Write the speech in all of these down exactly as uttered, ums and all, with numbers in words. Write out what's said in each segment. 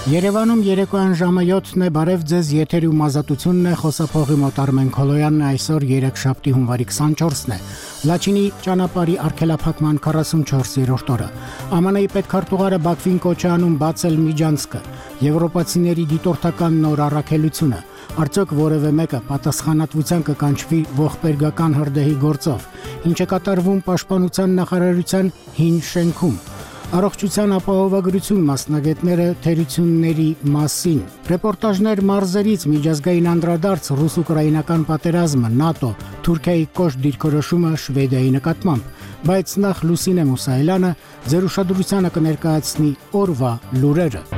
Երևանում երեկոյան ժամը յոթն է, բարև ձեզ, եթերում ազատությունն է, խոսափողի մոտ Արմեն Քոլոյանն է, այսօր երեքշաբթի հունվարի քսանչորսն է, Լաչինի ճանապարհի արգելափակման քառասունչորսերորդ օրը, ԱՄՆ-ի պետքարտուղարը Բաքվին կոչ է անում բացել Միջանցքը, եվրոպացիների դիտորդական նոր առաքելությունը, արդյոք որևէ մեկը պատասխանատվության կկանչվի ողբերգական հրդեհի գործով, ինչ է կատարվում Պաշտպանության նախարարության հին շենքում, Առողջության ապահովագրություն մասնագետները թերությունների մասին, ռեպորտաժներ մարզերից, միջազգային անդրադարձ, ռուս-ուկրաինական պատերազմը, ՆԱՏՕ, Թուրքիայի կոշտ դիրքորոշումը Շվեդիայի նկատմամբ, բայց նախ Լուսինե Մուսայելյանը ձեր ուշադրությանը կներկայացնի օրվա լուրերը։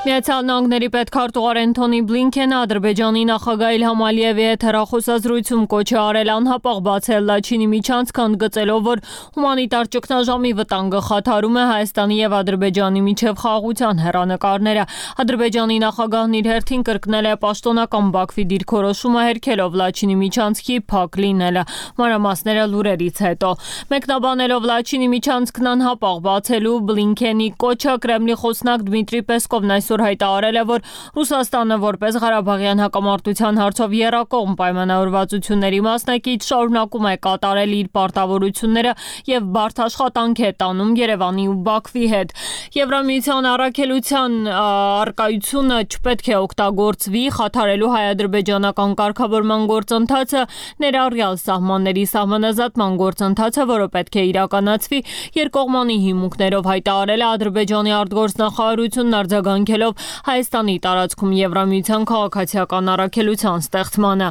Միացյալ Նահանգների պետքարտուղար Անթոնի Բլինքենը Ադրբեջանի նախագահ Իլհամ Ալիևի հետ հեռախոսազրույցում կոչ է արել անհապաղ բացել Լաչինի միջանցքը, ընդգծելով, որ հումանիտար ճգնաժամի վտանգը խաթարում է Հայաստանի եւ Ադրբեջանի միջև խաղաղության հեռանկարները։ Ադրբեջանի նախագահն իր հերթին կրկնել է պաշտոնական Բաքվի դիրքորոշումը, հերքելով Լաչինի միջանցքի փակ լինելը։ Մանրամասները լուրերից հետո։ Մեկնաբանելով Լաչինի միջանցքն անհապաղ բացելու Բլինքենի կոչը, Կրեմլի խոսնակ Դմիտրի Պեսկովն այսօր հայտարարել է, որ Ռուսաստանը որպես Ղարաբաղյան հակամարտության հարցով եռակողմ պայմանավորվածությունների մասնակից շարունակում է կատարել իր պարտավորությունները եւ բարդ աշխատանք է տանում Երևանի ու Բաքվի հետ։ Եվրամիության առաքելության արկայությունը չպետք է օգտագործվի խաթարելու հայ-ադրբեջանական կարգավորման գործընթացը, ներառյալ սահմանների սահմանազատման գործընթացը, որը պետք է իրականացվի երկկողմանի հիմունքներով, հայտարարել է Ադրբեջանի արտգործնախարարությունն արձագանքելով Հայաստանի տարածքում Եվրամիության քաղաքացիական առաքելության ստեղծմանը։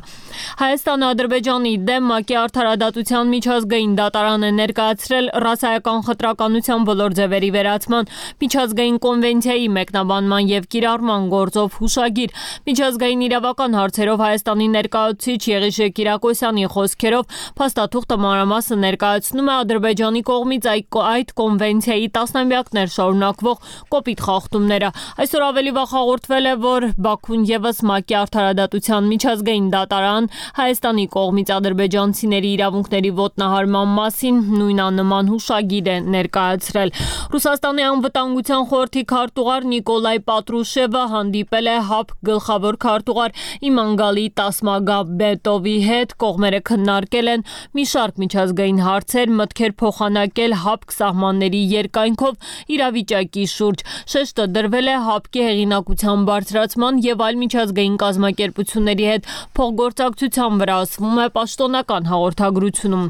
Հայաստանը Ադրբեջանի դեմ ՄԱԿ-ի արդարադատության միջազգային դատարան է ներկայացրել ռասայական խտրականության բոլոր ձևերի վերացման միջազգային կոնվենցիայի մեկնաբանման եւ կիրառման գործով հուշագիր։ Միջազգային իրավական հարցերով Հայաստանի ներկայացուցիչ Եղիշե Կիրակոսյանի խոսքերով փաստաթուղթը մանրամասն ներկայացնում է Ադրբեջանի կողմից այդ կոնվենցիայի տասնամյակներ շարունակվող կոպիտ խախտումները։ Այսօր ավելի վաղ հաղորդվել է, որ Բաքուն եւս ՄԱԿ-ի արդարադատության միջազգային դատարան Հայաստանի կողմից ադրբեջանցիների իրավունքների ոտնահարման մասին նույնանման հուշագիր է ներկայացրել։ Ռուսաստանի անվտանգության խորհրդի քարտուղար Նիկոլայ Պատրուշևը հանդիպել է ՀԱՊԿ գլխավոր քարտուղար Իմանգալի Տասմագամբետովի հետ, կողմերը քննարկել են մի շարք միջազգային հարցեր, մտքեր փոխանակել ՀԱՊԿ սահմանների երկայնքով իրավիճակի շուրջ։ Շեշտը դրվել է ՀԱՊԿ-ի հեղինակության բարձրացման եւ այլ միջազգային կազմակերպությունների հետ փոխգործակցության վրա, ասվում է պաշտոնական հաղորդագրությունում։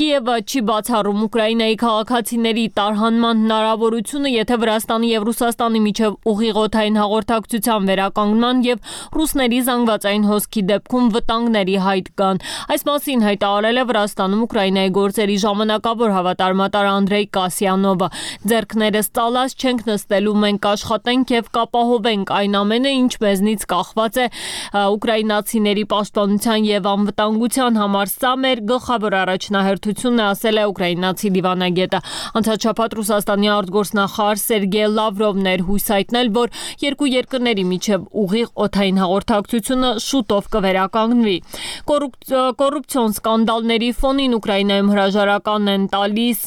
Կիևը չի բացառում Ուկրաինայի քաղաքացիների տարհանման հնարավորությունը, եթե Վրաստանի եւ Ռուսաստանի միջև ուղիղօդային հաղորդակցության վերականգնման եւ ռուսների զանգվածային հոսքի դեպքում վտանգների հայտ կան։ Այս մասին հայտարարել է Վրաստանում Ուկրաինայի գործերի ժամանակավոր հավատարմատար Անդրեյ Կասյանովը։ Ձեռքներս ծալած չենք նստելու, մենք աշխատենք եւ կապահովենք այն ամենը, ինչ մեզնից կախված է ուկրաինացիների պաշտպանության եւ անվտանգության համար։ Սա մեր գլխավոր առաջնահերթությունն է, ասել է ուկրաինացի դիվանագետը։ Անցած շաբաթ Ռուսաստանի արտգործնախարար Սերգեյ Լավրովն էր հույս հայտնել, որ երկու երկրների միջև ուղիղ օդային հաղորդակցությունը շուտով կվերականգնվի։ Կոռուպցիոն սկանդալների ֆոնին Ուկրաինայում հրաժարական են տալիս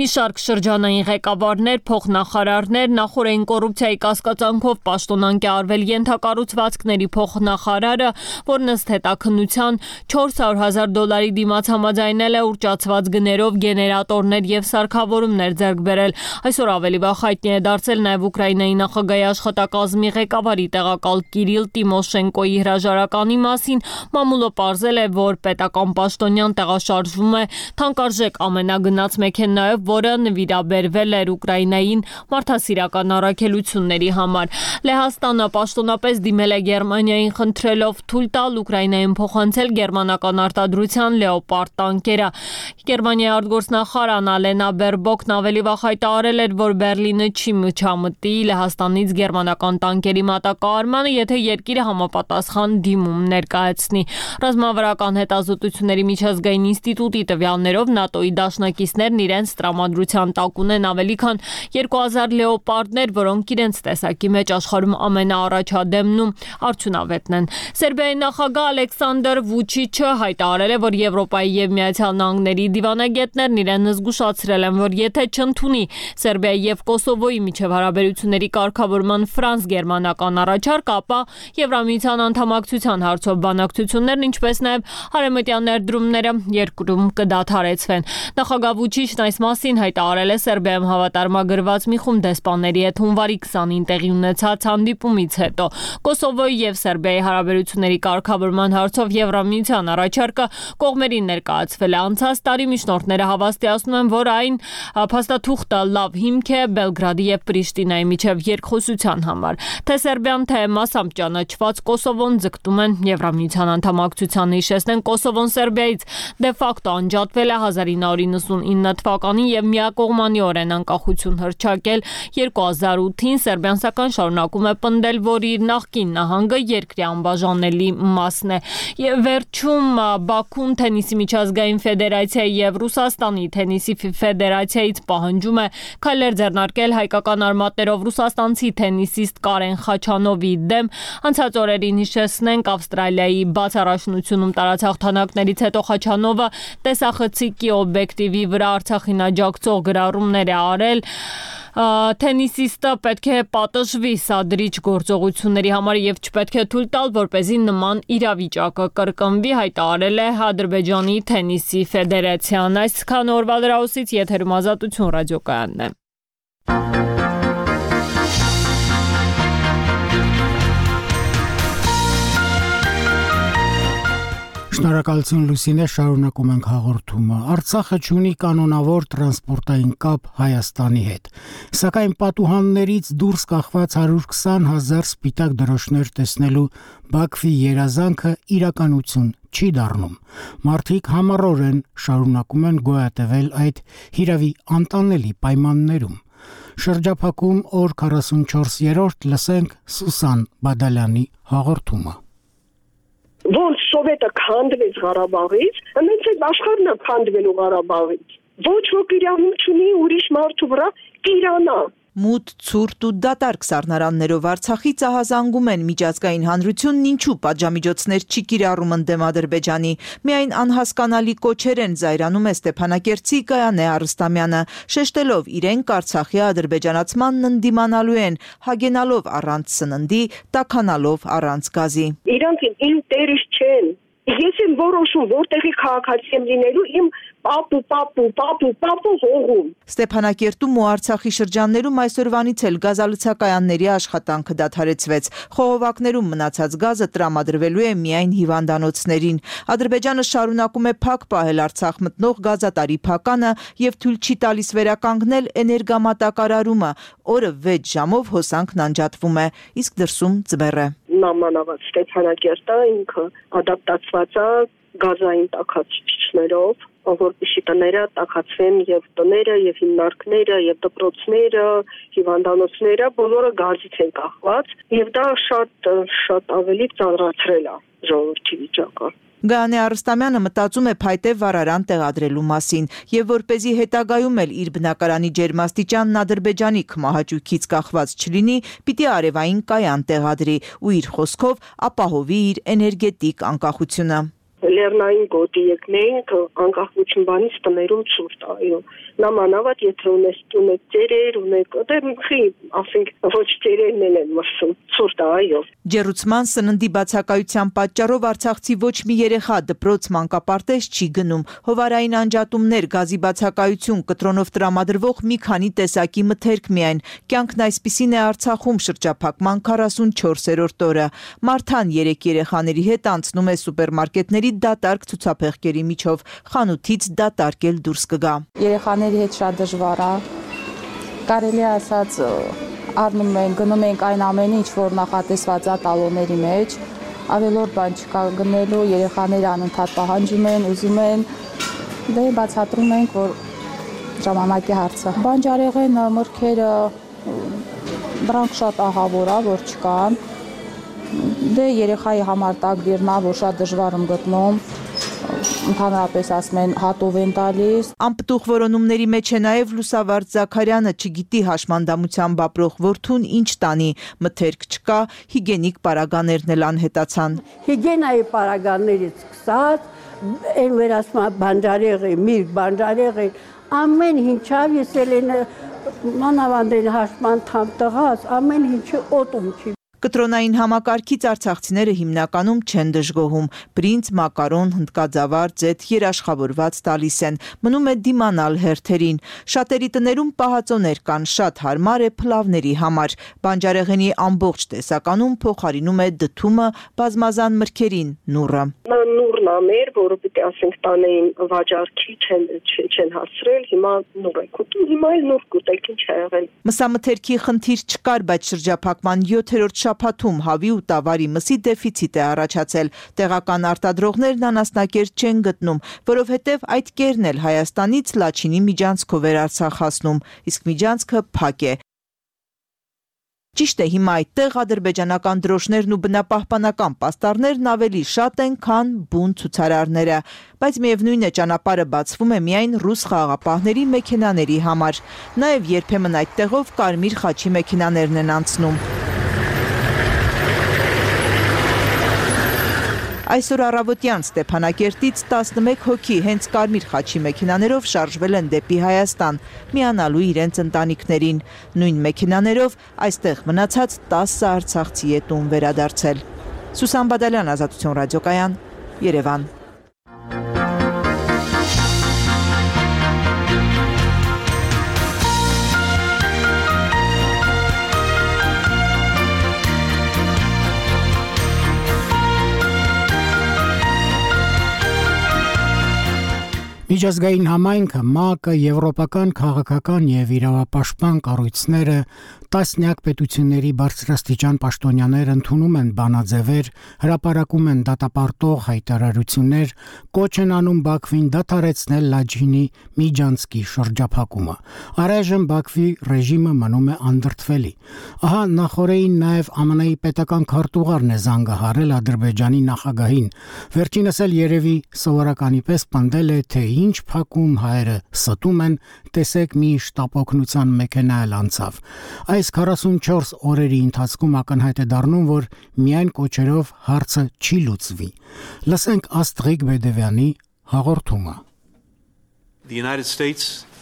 մի շարք շրջանային ղեկավարներ, փոխնախարարներ, նախորդային կոռուպցիայի կասկածանքով պաշտոնանկ է արվել ենթակառուցվածքների փոխնախարարը, որն ըստ հետաքննության չորս հարյուր հազար դոլարի դիմաց համաձայնել է ուռճացված գներով գեներատորներ եւ սարքավորումներ ձեռք բերել։ Այսօր ավելի վաղ հայտնի է դարձել նաեւ Ուկրաինայի նախագահի աշխատակազմի ղեկավարի տեղակալ Կիրիլ Տիմոշենկոյի հրաժարականի մասին։ Մամուլը պարզել է, որ պետական պաշտոնյան տեղաշարժվում է թանկարժեք ամենագնաց մեքենայով, որը նվիրաբերվել էր Ուկրաինային մարդասիրական առաքելությունների համար։ Լեհաստանը պաշտոնապես դիմել է Գերմանիային, խնդրելով թույլ տալ Ուկրաինային փոխանցել գերմանական արտադրության լեոպարդ տանկերը։ Գերմանիայի արտգործնախարար Անալենա Բերբոկն ավելի վաղ հայտարարել էր, որ Բերլինը չի միջամտի Լեհաստանից գերմանական տանկերի մատակարարմանը, եթե երկիրը համապատասխան դիմում ներկայացնի։ Ռազմավարական հետազոտությունների միջազգային ինստիտուտի տվյալներով ՆԱՏՕ-ի դաշնակիցներն իրենց տրամադրության տակ ունեն ավելի քան երկու հազար լեոպարդներ, որոնք իրենց տեսակի մեջ մեջ աշխարհում ամենաառաջադեմն ու արդյունավետն են։ Սերբիայի նախագահ Ալեքսանդր Վուչիչը հայտարարել է, որ Եվրոպայի եւ Միացյալ Նահանգների դիվանագետներն իրեն զգուշացրել են, որ եթե չընդունի Սերբիայի եւ Կոսովոյի միջև հարաբերությունների կարգավորման ֆրանս-գերմանական առաջարկ, ապա Եվրամիության անդամակցության հարցով բանակցություններն, ինչպես նաեւ հարեմտյան ներդրումները երկրում կդադարեցվեն։ Նախագահ Վուչիչն այս մասին հայտարարել է Սերբիայում հավատարմագրված մի խումբ դեսպանների հետ հունվարի քսանին տեղի ունեցած հանդիպումից հետո։ Կոսովոյի եւ Սերբիայի հարաբերությունների կարգավորման հարցով Եվրամիության առաջարկը կողմերին ներկայացվել է անցած տարի։ Միջնորդները հավաստիացնում են, որ այն փաստաթուղթը լավ հիմք է Բելգրադի եւ Պրիշտինայի միջև երկխոսության համար։ Թե Սերբիան, թե մասամբ ճանաչված Կոսովոն ձգտում են Եվրամիության անդամակցության, հիշեցնեն, Կոսովոն Սերբիայից դե ֆակտո անջատվել է հազար ինը հարյուր իննսունինը թվականին եւ միակողմանիորեն անկախություն հռչակել երկու հազար ութին։ Սերբիան սակայն շարունակում է պնդել, որ իր նախկին նահանգը երկրի անբաժանելի մասն է։ Եվ վերջում Բաքուն Թենիսի միջազգային ֆեդերացիայի եւ Ռուսաստանի Թենիսի ֆեդերացիայից պահանջում է քայլեր ձեռնարկել հայկական արմատներով ռուսաստանցի թենիսիստ Կարեն Խաչանովի դեմ։ Անցած օրերին հիշեցնենք, Ավստրալիայի բաց առաջնությունում տարած հաղթանակներից հետո Խաչանովը տեսախցիկի օբյեկտիվի վրա Արցախին աջակցող գրառումներ է արել։ Թենիսիստը պետք է պատժվի սադրիչ գործողությունների համար եւ չպետք է թույլ տալ, որպեսզի նման իրավիճակը կրկնվի, հայտարարել է Ադրբեջանի Թենիսի ֆեդերացիան։ Այսքան օրվա լրահոսից եթերում Ազատություն ռադիոկայանն է։ Շնորհակալություն Լուսինե, շարունակում ենք հաղորդումը։ Արցախը ունի կանոնավոր տրանսպորտային կապ Հայաստանի հետ, սակայն պատուհաններից դուրս կախված հարյուր քսան հազար սպիտակ դրոշներ տեսնելու Բաքվի երազանքը իրականություն չի դառնում։ Մարդիկ համառորեն շարունակում են գոյատևել այդ հիրավի անտանելի պայմաններում։ Շրջափակում օր քառասունչորսերորդ լսենք Սուսան Բադալյանի հաղորդումը։ Ոնց Սովետը քանդվեց Ղարաբաղից, հենց այդ աշխարհն է քանդվելու Ղարաբաղից։ Ոչ ոք իրավունք չունի ուրիշ մարդու վրա կիրանա։ Մութ, ցուրտ ու դատարկ սառնարաններով Արցախից ահազանգում են միջազգային հանրությունն, ինչու պատժամիջոցներ չի կիրառում ընդդեմ Ադրբեջանի։ Միայն անհասկանալի կոչեր են զայրանում է Ստեփանակերտցի Գայանե Արստամյանը, շեշտելով իրենք Արցախի ադրբեջանացմանն ընդդիմանալու են, հագենալով առանց սննդի, տաքանալով առանց գազի։ Իրանք իմ տերից չեն։ Ես եմ որոշում, որտեղի քաղաքացի եմ լինելու, իմ պապու, պապու, պապու, պապու հողում։ Ստեփանակերտում ու Արցախի շրջաններում այսօրվանից էլ գազալցակայանների աշխատանքը դադարեցվեց։ Խողովակներում մնացած գազը տրամադրվելու է միայն հիվանդանոցներին։ Ադրբեջանը շարունակում է փակ պահել Արցախ մտնող գազատարի փականը եւ թույլ չի տալիս վերականգնել էներգամատակարարումը։ Օրը վեց ժամով հոսանքն անջատվում է, իսկ դրսում ձմեռ է։ Նամանավատ Ստեփանակերտը ինքը ադապտացված է գազային տաքացուցիչներով, որպեսզի տները տաքացվեն եւ տները եւ հիմնարկները եւ դպրոցները, հիվանդանոցները բոլորը գազից են կախված եւ դա շատ շատ ավելի ծանրացրել է ժողովրդի վիճակը։ Գայանե Արստամյանը մտածում է փայտե վառարան տեղադրելու մասին եւ որպեսզի հետագայում էլ իր բնակարանի ջերմաստիճանն Ադրբեջանի քմահաճույքից կախված չլինի, պիտի արևային կայան տեղադրի ու իր խոսքով ապահովի իր էներգետիկ անկախությունը։ Լեռնային գոտի եկնենք անկախություն բանից տներում ցուրտ, այո։ Նամանավատ եթե ունես ունեք ծերեր, ունեք, դե խի, ասենք, ոչ ծերերն են մրսում, ցուրտ, այո։ Ջերուցման սննդի բացակայության պատճառով արցախցի ոչ մի երեխա դպրոց մանկապարտեզ չի գնում։ Հովարային անջատումներ, գազի բացակայություն, կտրոնով տրամադրվող մի քանի տեսակի մթերք միայն։ Կյանքն այսպիսին է Արցախում շրջափակման քառասունչորսերորդ օրը։ Մարթան երեք երեխաների հետ անցնում է սուպերմարկետների դատարկ ցուցափեղկերի միջով, խանութից դատարկ էլ դուրս կգա։ Երեխաների հետ շատ դժվար է։ Կարելի է ասած առնում ենք, գնում ենք այն ամենը, ինչ որ նախատեսված է տալոնների մեջ, ավելորդ բան չկա գնելու, երեխաները անընդհատ պահանջում են, ուզում են, դե բացատրում ենք, որ ժամանակի հարցը։ Բանջարեղենը, մրգերը, դրանք շատ ահավոր է, որ չկան։ Դե երեխայի համար տակ դիրնա, որ շատ դժվար եմ գտնում, Ընդհանրապես ասում են հատով են տալիս։ Անպտուղ որոնումների մեջ է նաև Լուսավարդ Զաքարյանը, չգիտի հաշմանդամությամբ ապրող որդուն ինչ տանի, մթերք չկա, հիգենիկ պարագաներն էլ անհետացան։ Հիգենայի պարագաներից սկսած, այն վերասմա բանջարեղի, միրգ բանջարեղի, ամեն ինչավ ես էլ մանավանդեն հաշման թամ տղաս, ամեն ինչը օտում չի։ Կտրոնային համակարգից արցախցիները հիմնականում չեն դժգոհում, բրինձ, մակարոն, հնդկաձավար, ձեթ երաշխավորված տալիս են, մնում է դիմանալ հերթերին։ Շատերի տներում պահածոներ կան, շատ հարմար է փլավների համար։ Բանջարեղենի ամբողջ տեսականում փոխարինում է դդումը բազմազան մրգերին, նուռը։ Նուրն ամեր, որը պիտի ասենք տանեին վաճառքի չեն չեն հասրել, հիմա նուռ է կուտում, հիմա էլ նուռ կուտեք, ինչ է եղել։ Մսամթերքի խնդիր չկար, բայց շրջափակման յոթերորդ շաբաթում հավի ու տավարի մսի դեֆիցիտ է առաջացել։ Տեղական արտադրողներն անասնակերտ չեն գտնում, որովհետև այդ կերն էլ Հայաստանից Լաչինի միջանցքով էր Արցախ հասնում, իսկ միջանցքը փակ է։ Ճիշտ է, հիմա այդտեղ ադրբեջանական դրոշներն ու բնապահպանական պաստառներն ավելի շատ են, քան բուն ցուցարարները, բայց միևնույն է ճանապարհը բացվում է միայն ռուս խաղաղապահների մեքենաների համար։ Նաև երբեմն այդտեղով կարմիր խաչի մեքենաներն են անցնում։ Այսօր առավոտյան Ստեփանակերտից տասնմեկ հոգի հենց կարմիր խաչի մեքենաներով շարժվել են դեպի Հայաստան, միանալու իրենց ընտանիքներին։ Նույն մեքենաներով այստեղ մնացած տասը արցախցի է տուն վերադարձել։ Սուսան Բադալյան, Ազատություն ռադիոկայան, Երևան։ Միջազգային համայնքը, ՄԱԿ-ը, եվրոպական քաղաքական եւ իրավապաշտպան կառույցները, տասնյակ պետությունների բարձրաստիճան պաշտոնյաներ ընդունում են բանաձևեր, հրապարակում են դատապարտող հայտարարություններ, կոչ են անում Բաքվին դադարեցնել Լաչինի միջանցքի շրջափակումը։ Առայժմ Բաքվի ռեժիմը մնում է անդրդվելի։ Ահա նախորդին նաև ԱՄՆ-ի պետական քարտուղարն է զանգահարել Ադրբեջանի նախագահին։ Վերջինս էլ երևի սովորականի պես պնդել է, թե ինչ փակում հայերը ստում են, տեսեք մի շտապօգնության մեքենա էլ անցավ։ Այս քառասունչորս օրերի ընթացքում ակնհայտ է դառնում, որ միայն կոչերով հարցը չի լուծվի։ Լսենք Աստղիկ Բեդևյանի հաղորդումը։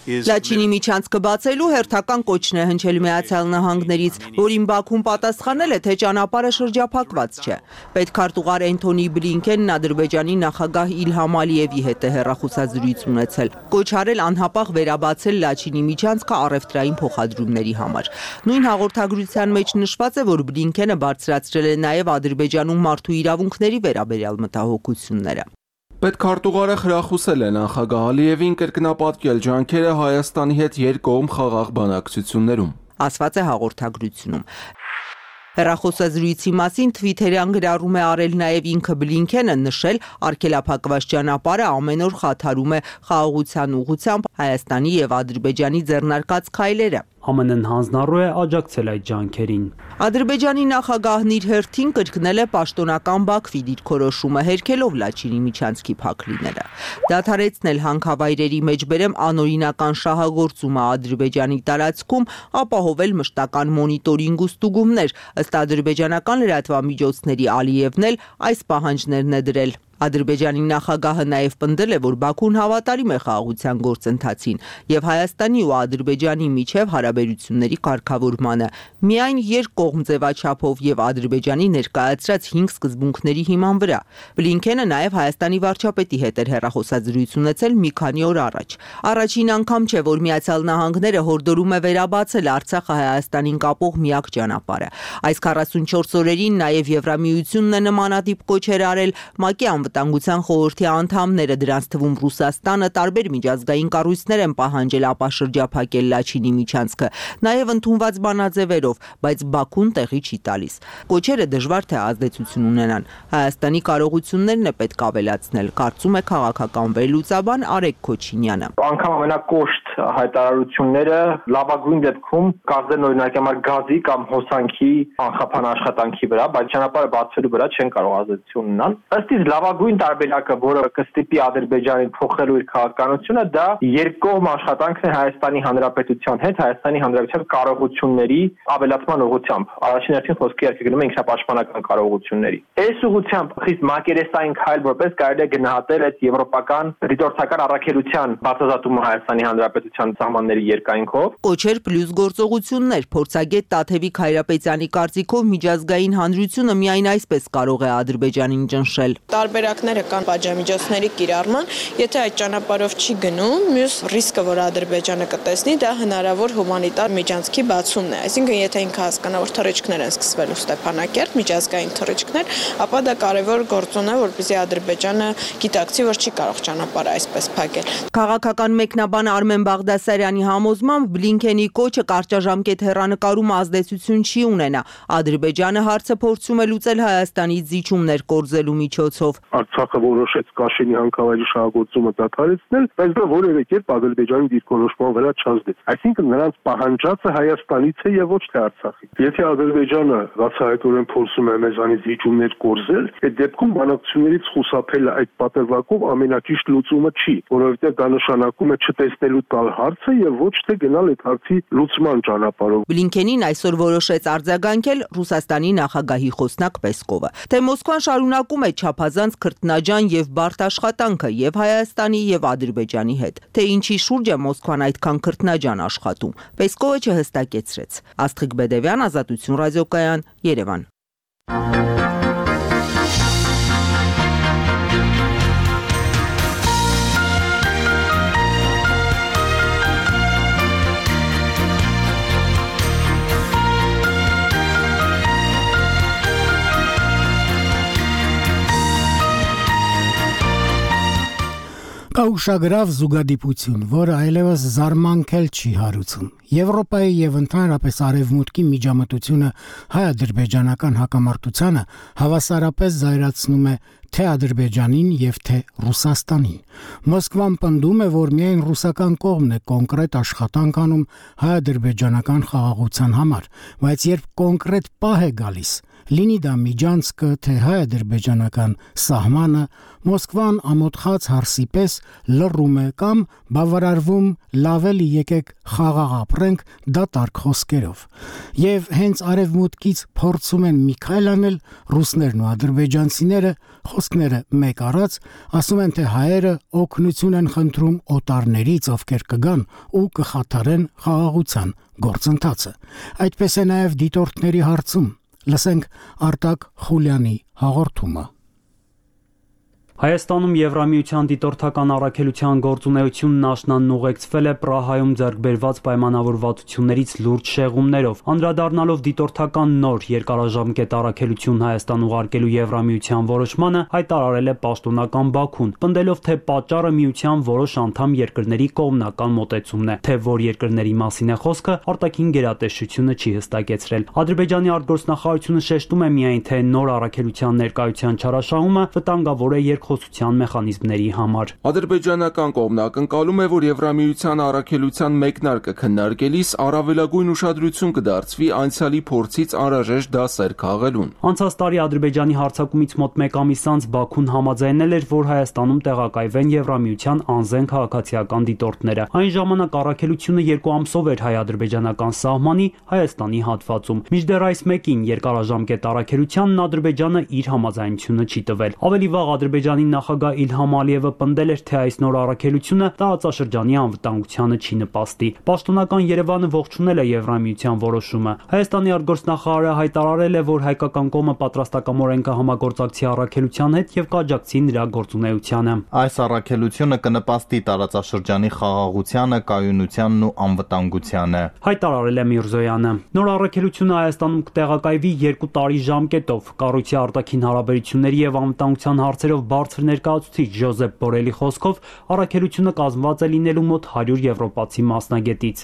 Լաչինի միջանցքը բացելու հերթական կոչն է հնչել Միացյալ Նահանգներից, որին Բաքուն պատասխանել է, թե ճանապարհը շրջափակված չէ։ Պետքարտուղար Էնթոնի Բլինքենն Ադրբեջանի նախագահ Իլհամ Ալիևի հետ է հեռախոսազրույց ունեցել, կոչ արել անհապաղ վերաբացել Լաչինի միջանցքը առևտրային փոխադրումների համար։ Նույն հաղորդագրության մեջ նշված է, որ Բլինքենը բարձրացրել է նաև Ադրբեջանում մարդու իրավունքների վերաբերյալ մտահոգությունները։ Պետքարտուղարը խրախուսել է նախագահ Ալիևին կրկնապատկել ջանքերը Հայաստանի հետ երկկողմ խաղաղ բանակցություններում, ասված է հաղորդագրությունում։ Հեռախոսազրույցի մասին Թվիթերյան գրառում է արել նաև ինքը Բլինքենը, նշել արգելափակված ճանապարհը ամեն օր խաթարում է խաղաղության ուղղությամբ Հայաստանի եւ Ադրբեջանի ձեռնարկած քայլերը։ ԱՄՆ-ն հանձնառու է աջակցել այդ ջանքերին։ Ադրբեջանի նախագահն իր հերթին կրկնել է պաշտոնական Բաքվի դիրքորոշումը, հերքելով Լաչինի միջանցքի փակ լինելը։ Դադարեցնել հանքավայրերի մեջբերեմ անօրինական շահագործումը Ադրբեջանի տարածքում, ապահովել մշտական մոնիտորինգ ու ստուգումներ, ըստ ադրբեջանական լրատվամիջոցների Ալիևն էլ այս պահանջներն է դրել։ Ադրբեջանի նախագահը նաև պնդել է, որ Բաքուն հավատարիմ է խաղաղության գործընթացին եւ Հայաստանի ու Ադրբեջանի միջև հարաբերությունների կարգավորմանը, միայն երկկողմ ձևաչափով եւ Ադրբեջանի ներկայացրած հինգ սկզբունքների հիման վրա։ Բլինքենը նաև Հայաստանի վարչապետի հետ էր հեռախոսազրույց ունեցել մի քանի օր առաջ։ Առաջին անգամ չէ, որ Միացյալ Նահանգները հորդորում է վերաբացել Արցախը Հայաստանին կապող միակ ճանապարհը։ Այս քառասունչորս օրերին նաև Եվրամիությունն է նմանատիպ կոչեր արել ՄԱԿ-ի Անվտանգության խորհրդի անդամները, դրանց թվում Ռուսաստանը, տարբեր միջազգային կառույցներ են պահանջել ապա շրջափակել Լաչինի միջանցքը, նաև ընդունված բանաձևերով, բայց Բաքուն տեղի չի տալիս։ Կոչերը դժվար թե ազդեցություն ունենան։ Հայաստանի կարողություններն է պետք ավելացնել, կարծում է քաղաքական վերլուծաբան Արեգ Քոչինյանը։ Անկամ ամենակոշտ հայտարարությունները լավագույն դեպքում կազդեն օրինակ համար գազի կամ հոսանքի անխափան աշխատանքի վրա, բայց ճանապարհը բացվելու վրա չեն կարող ազդեցություն ունենալ։ Ըստ իս լավագույն Լավագույն տարբերակը, որը կստիպի Ադրբեջանին փոխելու իր քաղաքականությունը, դա երկկողմ աշխատանքն է Հայաստանի Հանրապետության հետ, Հայաստանի Հանրապետության կարողությունների ավելացման ուղղությամբ։ Առաջին հերթին խոսքի երկը գնում է ինքնապաշտպանական կարողությունների։ Այս ուղղությամբ խիստ մակերեսային քայլ որպես կարելի է գնահատել այդ եվրոպական դիտորդական առաքելության բացազատումը Հայաստանի Հանրապետության սահմանների երկայնքով։ Կոչեր պլյուս գործողություններ փորձագետ Տաթևիկ Հայրապետյանի կարծիքով միջազգային հանրությունը միայն այսպես կարող է Ադրբեջանին ճնշել։ Տարբերակները կան պատժամիջոցների կիրառման, եթե այդ ճանապարհով չի գնում, մյուս ռիսկը, որ Ադրբեջանը կտեսնի, դա հնարավոր հումանիտար միջանցքի բացումն է։ Այսինքն, եթե ինքը հասկանա, որ թռիչքներ են սկսվելու Ստեփանակերտ, միջազգային թռիչքներ, ապա դա կարևոր գործոն է, որպեսզի Ադրբեջանը գիտակցի, որ չի կարող ճանապարհը այսպես փակել։ Քաղաքական մեկնաբան Արմեն Բաղդասարյանի համոզմամբ Բլինքենի կոչը կարճաժամկետ հեռանկարում ազդեցություն չի ունենա։ Ադրբեջանը հարցը փորձում է լուծել Հայաստանից զիջումներ կորզելու միջոցով։ Արցախը որոշեց Կաշինյան քաղաքի շահագործումը դադարեցնել, բայց դա որևէ կերպ Ադրբեջանի դիրքորոշման վրա չազդեց։ Այսինքն նրանց պահանջածը Հայաստանից է եւ ոչ թե Արցախից։ Եթե Ադրբեջանը բացահայտորեն փորձում է մեզանից զիջումներ կորզել, այդ դեպքում բանակցություններից խուսափելը այդ պատրվակով ամենաճիշտ լուծումը չի, որովհետեւ դա նշանակում է չտեսնելու տալ հարցը եւ ոչ թե գնալ այդ հարցի լուծման ճանապարհով։ Բլինքենին այսօր որոշեց արձագանքել Ռուսաստանի նախագահի խոսնակ Պեսկովը, թե Մոսկվան շարունակում է չափազանց քրտնաջան եւ բարդ աշխատանքը եւ Հայաստանի եւ Ադրբեջանի հետ, թե ինչի շուրջ է Մոսկվան այդքան քրտնաջան աշխատում։ Պեսկովը չհստակեցրեց։ Աստղիկ Բեդևյան, Ազատություն ռադիոկայան, Երևան։ Կա ուշագրավ զուգադիպություն, որը այլևս զարմանքել չի հարուցում։ Եվրոպայի եւ ընդհանրապես արևմուտքի միջամտությունը հայ-ադրբեջանական հակամարտությանը հավասարապես զայրացնում է թե Ադրբեջանին եւ թե Ռուսաստանին։ Մոսկվան պնդում է, որ միայն ռուսական կողմն է կոնկրետ աշխատանք անում հայ-ադրբեջանական խաղաղության համար, բայց երբ կոնկրետ պահ է գալիս, լինի դա միջանցքը, թե հայ-ադրբեջանական սահմանը, Մոսկվան ամոթխած հարսի պես լռում է կամ բավարարվում լավ էլի եկեք խաղաղ ապրենք դատարկ խոսքերով։ Եվ հենց արևմուտքից փորձում են մի քայլ անել ռուսներն ու ադրբեջանցիները, խոսքները մեկ առած, ասում են, թե հայերը օգնություն են խնդրում օտարներից, ովքեր կգան ու կխաթարեն խաղաղության գործընթացը։ Այդպես է նաև դիտորդների հարցում։ Լսենք Արտակ Խուլյանի հաղորդումը։ Հայաստանում Եվրամիության դիտորդական առաքելության գործունեությունն աշնանն ուղեկցվել է Պրահայում ձեռք բերված պայմանավորվածություններից լուրջ շեղումներով։ Անդրադառնալով դիտորդական նոր երկարաժամկետ առաքելություն Հայաստան ուղարկելու Եվրամիության որոշմանը, հայտարարել է պաշտոնական Բաքուն, պնդելով, թե պատճառը միության որոշ անդամ երկրների կողմնական մոտեցումն է, թե որ երկրների մասին է խոսքը, արտաքին գերատեսչությունը չի հստակեցրել։ Ադրբեջանի արտգործնախարարությունը շեշտում է միայն, թե նոր առաքելության ներկայության չարաշահումը վտանգավոր է երկխոսության մեխանիզմների համար։ Ադրբեջանական կողմն ակնկալում է, որ Եվրամիության առաքելության մեկնարկը քննարկելիս առավելագույն ուշադրություն կդարձվի անցյալի փորձից անհրաժեշտ դասեր քաղելուն։ Անցած տարի Ադրբեջանի հարձակումից մոտ մեկ ամիս անց Բաքուն համաձայնել էր, որ Հայաստանում տեղակայվեն Եվրամիության անզեն քաղաքացիական դիտորդները։ Այն ժամանակ առաքելությունը երկու ամսով էր հայ-ադրբեջանական սահմանի Հայաստանի հատվածում։ Մինչդեռ այս մեկին երկարաժամկետ առաքելությանն Ադրբեջանը իր համաձայնությունը չի տվել։ Ավելի վաղ Ադրբեջանի նախագահ Իլհամ Ալիևը պնդել էր, թե այս նոր առաքելությունը տարածաշրջանի անվտանգությանը չի նպաստի։ Պաշտոնական Երևանը ողջունել է Եվրամիության որոշումը։ Հայաստանի արտգործնախարարը հայտարարել է, որ հայկական կողմը պատրաստակամորեն կհամագործակցի առաքելության հետ եւ կաջակցի նրա գործունեությանը։ Այս առաքելությունը կնպաստի տարածաշրջանի խաղաղությանը, կայունությանն ու անվտանգությանը, հայտարարել է Միրզոյանը։ Նոր առաքելությունը Հայաստանում կտեղակայվի երկու տարի ժամկետով։ Կառույցի արտաքին հարաբերությունների եւ անվտանգության հարցերով բարձր ներկայացուցիչ Ժոզեփ Բորելի խոսքով առաքելությունը կազմված է լինելու մոտ հարյուր եվրոպացի մասնագետից։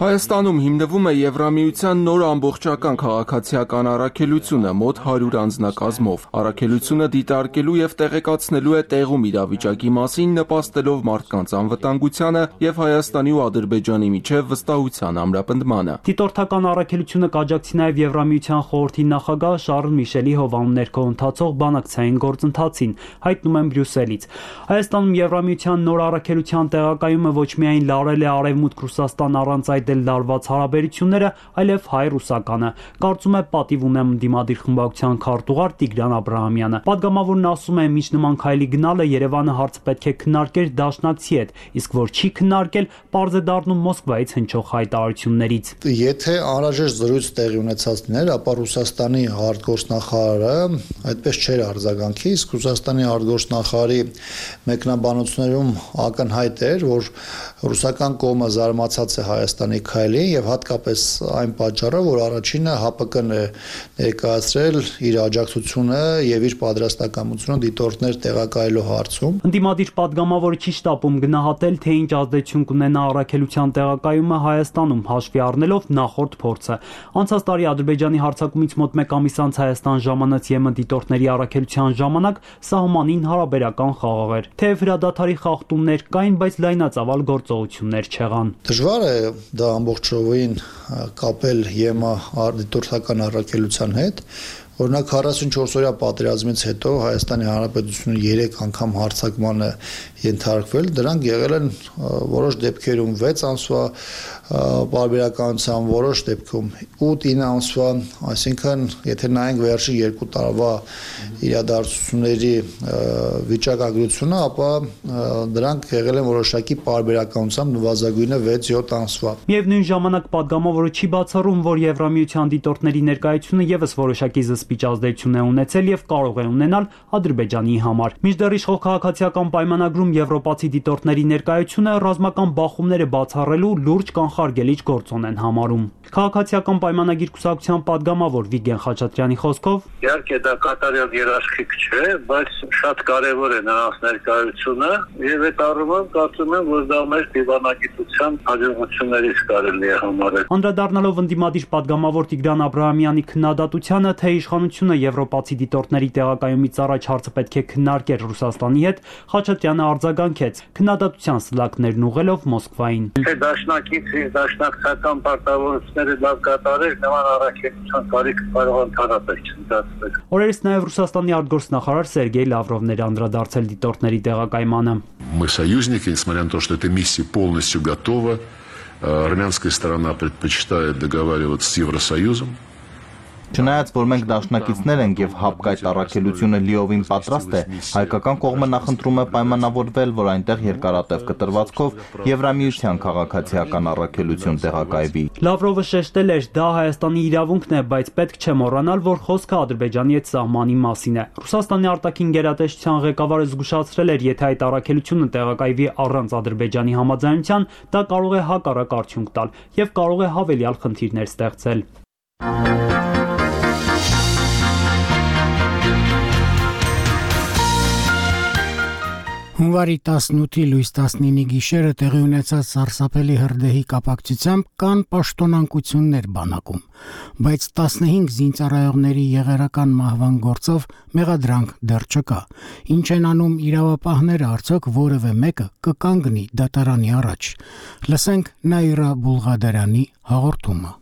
Հայաստանում հիմնվում է Եվրամիության նոր ամբողջական քաղաքացիական առաքելությունը մոտ հարյուր անձնակազմով։ Առաքելությունը դիտարկելու եւ տեղեկացնելու է տեղում իրավիճակի մասին, նպաստելով մարդկանց անվտանգությանը եւ Հայաստանի ու Ադրբեջանի միջև վստահության ամրապնդմանը։ Դիտորդական առաքելությունը կաջակցի նաեւ Եվրամիության խորհրդի նախագահ Շարլ Միշելի հովանու ներքո ընթացող բանակցային գործընթացին, բացին, հայտնում են Բրյուսելից։ Հայաստանում Եվրամիության նոր առաքելության տեղակայումը ոչ միայն լարել է Արևմուտք Ռուսաստան առանց այդ էլ լարված հարաբերությունները, այլև հայ-ռուսականը, կարծում է պատիվ ունեմ ընդդիմադիր խմբակցության քարտուղար Տիգրան Աբրահամյանը։ Պատգամավորն ասում է, միջ նման քայլի գնալը Երևանը հարցը պետք է քննարկեր դաշնակցի հետ, իսկ որ չի քննարկել, պարզ է դառնում Մոսկվայից հնչող հայտարարություններից։ Եթե անհրաժեշտ զրույց տեղի ունեցած լիներ, ապա Ռուսաստանի արտգործնախարարը այդպես չէր արձագանքի, իսկ Ռուսաստանի արտգործնախարարի մեկնաբանություններում ակնհայտ էր, որ ռուսական կողմը զարմացած է Հայաստանի քայլին եւ հատկապես այն պատճառով, որ առաջինը ՀԱՊԿ-ն է ներկայացրել իր աջակցությունը եւ իր պատրաստակամությունը դիտորդներ տեղակայելու հարցում։ Ընդդիմադիր պատգամավորը չի շտապում գնահատել, թե ինչ ազդեցություն կունենա առաքելության տեղակայումը Հայաստանում, հաշվի առնելով նախորդ փորձը։ Անցած տարի Ադրբեջանի հարձակումից մոտ մեկ ամիս անց Հայաստան ժամանած ԵՄ դիտորդների առաքելության ժամանակ սահմանին հարաբերական խաղաղ էր։ Թեև հրադադարի խախտումներ կային, բայց լայնածավալ գործողություններ չեղան։ Դժվար է դա ամբողջովին կապել ԵՄ դիտորդական առաքելության հետ։ Օրինակ քառասունչորս օրյա պատերազմից հետո Հայաստանի Հանրապետությունը երեք անգամ հարձակման է ենթարկվել, դրանք եղել են որոշ դեպքերում վեց ամսվա պարբերականության, որոշ դեպքում ութ-ինը ամսվա, այսինքն եթե նայենք վերջի երկու տարվա իրադարձությունների վիճակագրությունը, ապա դրանք եղել են որոշակի պարբերականությամբ նվազագույնը վեց-յոթ ամսվա։ Միևնույն ժամանակ պատգամավորը չի բացառում, որ Եվրամիության դիտորդների ներկայությունը եւս որոշակի զսպիչ ազդեցություն է ունեցել եւ կարող է ունենալ Ադրբեջանի համար։ Մինչդեռ իշխող քաղաքացիական պայմանագրում եվրոպացի դիտորդների ներկայությունը ռազմական բախումները բացառելու լուրջ կանխարգելիչ գործոն են համարում։ Քաղաքացիական պայմանագիր կուսակցության պատգամավոր Վիգեն Խաչատրյանի խոսքով իհարկե դա կատարյալ երաշխիք չէ, բայց շատ կարևոր է նրանց ներկայությունը եւ այդ առումով կարծում եմ, որ դա մեր դիվանագիտության հաջողություններից կարելի է համարել։ Անդրադառնալով ընդդիմադիր պատգամավոր Տիգրան Աբրահամյանի քննադատությանը, թե իշխանությունը եվրոպացի դիտորդների տեղակայումից առաջ հարցը պետք է քննարկեր Ռուսաստանի հետ, Խաչատրյանը արձագանքեց քննադատության սլաքներն ուղղելով Մոսկվային։ Թե դաշնակից դաշնակցական պարտավորությունները լավ կատարել, նման առաքելության կարիք կարող ընդհանրապես չընդհանրել։ Օրերս նաև Ռուսաստանի արտգործնախարար Սերգեյ Լավրովն էր անդրադարձել դիտորդների տեղակայմանը։ Мы союзники, несмотря на то, что эта миссия полностью готова, армянская сторона предпочитает договариваться с Евросоюзом. Չնայած որ մենք դաշնակիցներ ենք եւ ՀԱՊԿ այդ առաքելությունը լիովին պատրաստ է, հայկական կողմը նախընտրում է պայմանավորվել, որ այնտեղ երկարատև կտրվածքով Եվրամիության քաղաքացիական առաքելություն տեղակայվի։ Լավրովը շեշտել էր, դա Հայաստանի իրավունքն է, բայց պետք չէ մոռանալ, որ խոսքը Ադրբեջանի հետ սահմանի մասին է։ Ռուսաստանի արտաքին գերատեսչության ղեկավարը զգուշացրել էր, եթե այդ առաքելությունը տեղակայվի առանց Ադրբեջանի համաձայնության, դա կարող է հակառակ արդյունք տալ եւ կարող է հավելյալ խնդիրներ ստեղծել։ Հունվարի տասնութի լույս տասնինի գիշերը տեղի ունեցած սարսափելի հրդեհի կապակցությամբ կան պաշտոնանկություններ բանակում, բայց տասնհինգ զինծառայողների եղերական մահվան գործով մեղադրանք դեռ չկա։ Ինչ են անում իրավապահները, արդյոք որևէ մեկը կկանգնի դատարանի առաջ։ Լսենք Նաիրա Բուլղադարյանի հաղորդումը։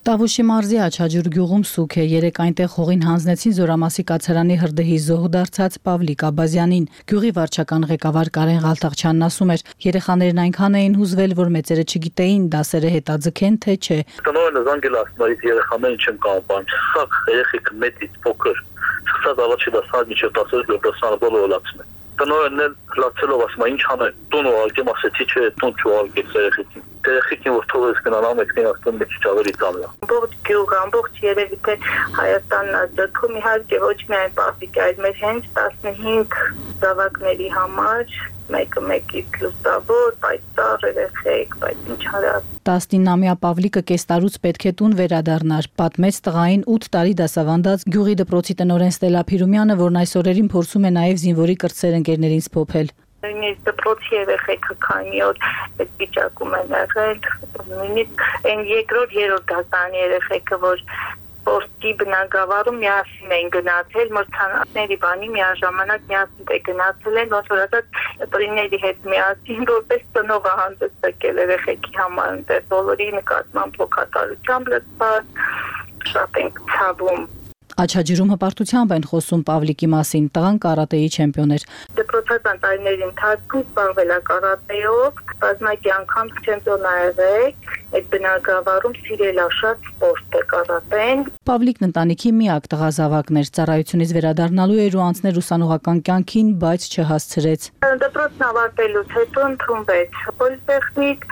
Տավուշի մարզի Աչաջուր գյուղում սուք է, երեք այնտեղ հողին հանձնեցին Զորամասի կացարանի հրդեհի զոհ դարձած Պավլիկ Աբազյանին։ Գյուղի վարչական ղեկավար Կարեն Ղալթաղչյանն ասում էր, երեխաներն այնքան էին հուզվել, որ մեծերը չգիտեին դասերը հետաձգեն թե չէ։ Տնօրենը զանգել ասում էր երեխաներին չեմ կարող բան, սա երեխեք մեծից փոքր, սկսած առաջի դասարան միջև տասնհինգ դասարանը բոլորը լացում են։ Տնօրենն էլ լացելով ասում է ինչ անեն, տուն ուղարկեմ, ասեցի չէ, տուն չուղարկեց երեխեքին։ Երեխեքին որ թողես գնան մեկին ասում մի քիչ ավելի ծանր։ Ամբողջ գյուղը, ամբողջ երևի թե Հայաստանն ազդքում իհարկե ոչ միայն Պավլիկի, այլ մեր հենց տասնհինգ զավակների համար մեկը մեկից լուսավոր, պայծառ երեխեք, բայց ինչ արած։ տասնինամյա Պավլիկը կես տարուց պետք է տուն վերադառնար, պատմեց տղային ութ տարի դասավանդած գյուղի դպրոցի տնօրեն Ստելա Փիրումյանը, որն այս օրերին փորձում է նաև զինվորի կրտսեր ընկերներին սփոփել։ Նույնիսկ դպրոցի երեխեքը քանի օր այդ վիճակում են եղել, նույնիսկ այն երկրորդ երրորդ դասարանի երեխեքը, որ Պորտի բնակավարում միասին են գնացել, մրցանակների բանի միաժամանակ միասին է գնացել են, ոնց որ ասած պրիների հետ միասին, որպես ծնողը հանդիսակել երեխեքի համար, այնտեղ բոլորի նկատմամբ հոգատարությամբ լցված, շատ ենք ցավում։ Աչաջրում հպարտությամբ են խոսում Պավլիկի մասին, տղան կարատեի չեմպիոն էր։ Դպրոցական տարիների ընթացքում զբաղվել է կարատեով, բազմակի անգամ չեմպիոն ա եղել, այդ բնակավարում սիրել է շատ սպորտ է կարատեն։ Պավլիկն ընտանիքի միակ տղազավակն էր, ծառայությունից վերադառնալու էր ու անցներ ուսանողական կյանքին, բայց չհասցրեց։ Դպրոցն ավարտելուց հետո ընդունվեց պոլիտեխնիկ,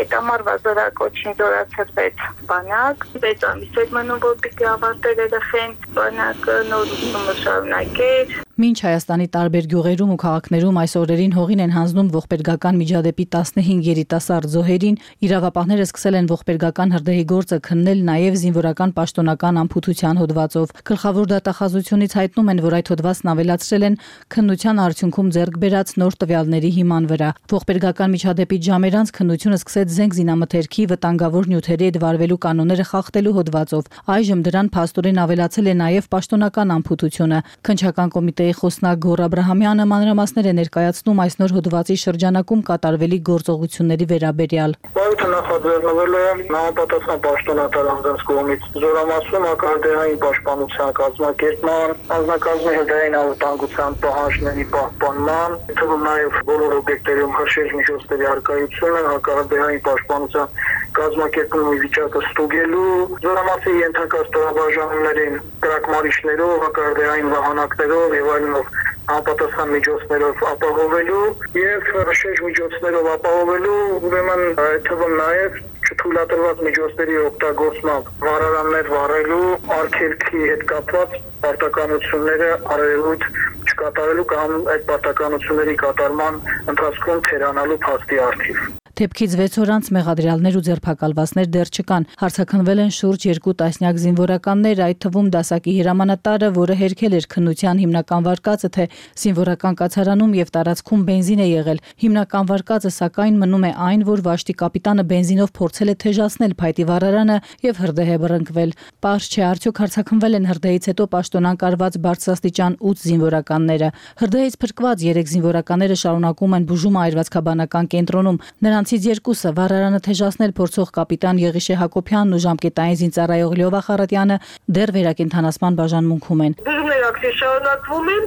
այդ ամառվա զորակոչին զորացրվեց բանակ, վեց ամիս էր մնում, որ պիտի ավարտել երեխեն բանակը, նոր ուսումը շարունակեր։ Մինչ Հայաստանի տարբեր գյուղերում ու քաղաքներում այս օրերին հողին են հանձնում ողբերգական միջադեպի տասնհինգ երիտասարդ զոհերին, իրավապահները սկսել են ողբերգական հրդեհի գործը քննել նաև զինվորական պաշտոնական անփութության հոդվածով։ Գլխավոր դատախազությունից հայտնում են, որ այդ հոդվածն ավելացրել են քննության արդյունքում ձեռք բերած նոր տվյալների հիման վրա։ Ողբերգական միջադեպի ժամեր անց քննությունը սկսեց զենք զինամթերքի վտանգավոր նյութերի հետ վարվելու կանոնները խախտելու հոդվածով։ Այժմ դրան փաստորեն ավելացել է նաև պաշտոնական անփութությունը։ Քննչական կոմիտեի խոսնակ Գոռ Աբրահամյանը մանրամասներ է ներկայացնում այս նոր հոդվածի շրջանակում կատարվելի գործողությունների վերաբերյալ։ Բարոյթը նախաձեռնվել է համապատասխան պաշտոնատար անձանց կողմից զորամասում ակարդեային պաշտպանության կազմակերպման, անձնակազմի հրդեհային անվտանգության պահանջների պահպանման, թվում նաև բոլոր օբյեկտերում հրշեջ միջոցների առկայությունը, հակարդեային պաշտպանության կազմակերպումի վիճակը ստուգելու, զորամասի ենթակա ստորաբաժանումներին կրակմարիչներով, հակարդեային վահանակներով եւ այլնով անպատասխան միջոցներով ապահովելու եւ հրշեջ միջոցներով ապահովելու, ուրեմն այդ թվում նաեւ չթույլատրված միջոցների օգտագործմամբ վարարաններ վարելու, արգելքի հետ կապված պարտականությունները արևելույթ չկատարելու կամ այդ պարտականությունների կատարման ընթացքում թերանալու փաստի առթիվ։ Թեփքից վեց օր անց մեղադրյալներ ու ձերբակալվածներ դեռ չկան։ Հարցաքննվել են շուրջ երկու տասնյակ զինվորականներ, այդ թվում դասակի հրամանատարը, որը հերքել էր քննության հիմնական վարկածը, թե զինվորական կացարանում եւ տարածքում բենզին է եղել։ Հիմնական վարկածը սակայն մնում է այն, որ վաշտի կապիտանը բենզինով փորձել է թեժացնել փայտի վառարանը եւ հրդեհ է բռնկվել։ Պարզ չէ, արդյոք հարցաքննվել են հրդեհից հետո պաշտոնան կարված բարձրաստիճան ութ զինվորականները։ Հրդեհից փրկված երեք զինվորականները շարունակում են բուժումը այրվածքաբանական կենտրոնում։ Նրանցից երկուսը վառարանը թեժացնել փորձող կապիտան Եղիշե Հակոբյանն ու ժամկետային զինծառայող Լյովա Խարատյանը դեռ վերակենդանացման բաժանմունքում են։ Բուժումները ակտիվ շարունակվում են,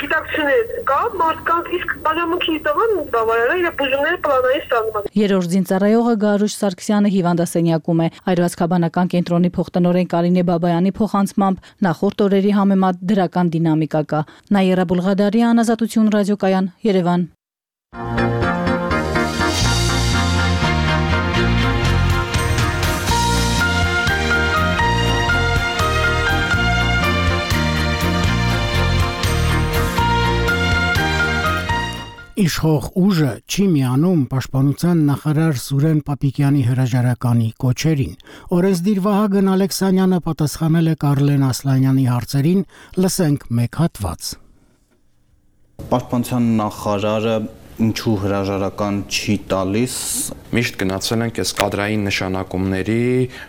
գիտակցություններ կա, մարդկանց իսկ բաժանմունքի տվան բավարար է եւ բուժումները պլանային ստանում։ Երրորդ զինծառայողը Գարուշ Սարգսյանը հիվանդասենյակում է։ Այրվածքաբանական կենտրոնի փոխտնօրեն Կարինե Բաբայանի փոխանցմամբ նախորդ օրերի համեմատ դրական դինամիկա կա։ Նաիրա Բուլղադարյան, Ազատություն ռադիոկայան, Երևան։ Իշխող ուժը չի միանում պաշտպանության նախարար Սուրեն Պապիկյանի հրաժարականի կոչերին։ Օրենսդիր Վահագն Ալեքսանյանը պատասխանել է Կարլեն Ասլանյանի հարցերին, լսենք մեկ հատված։ Պաշտպանության նախարարը ինչու հրաժարական չի տալիս։ Միշտ գնացել ենք այս կադրային նշանակումների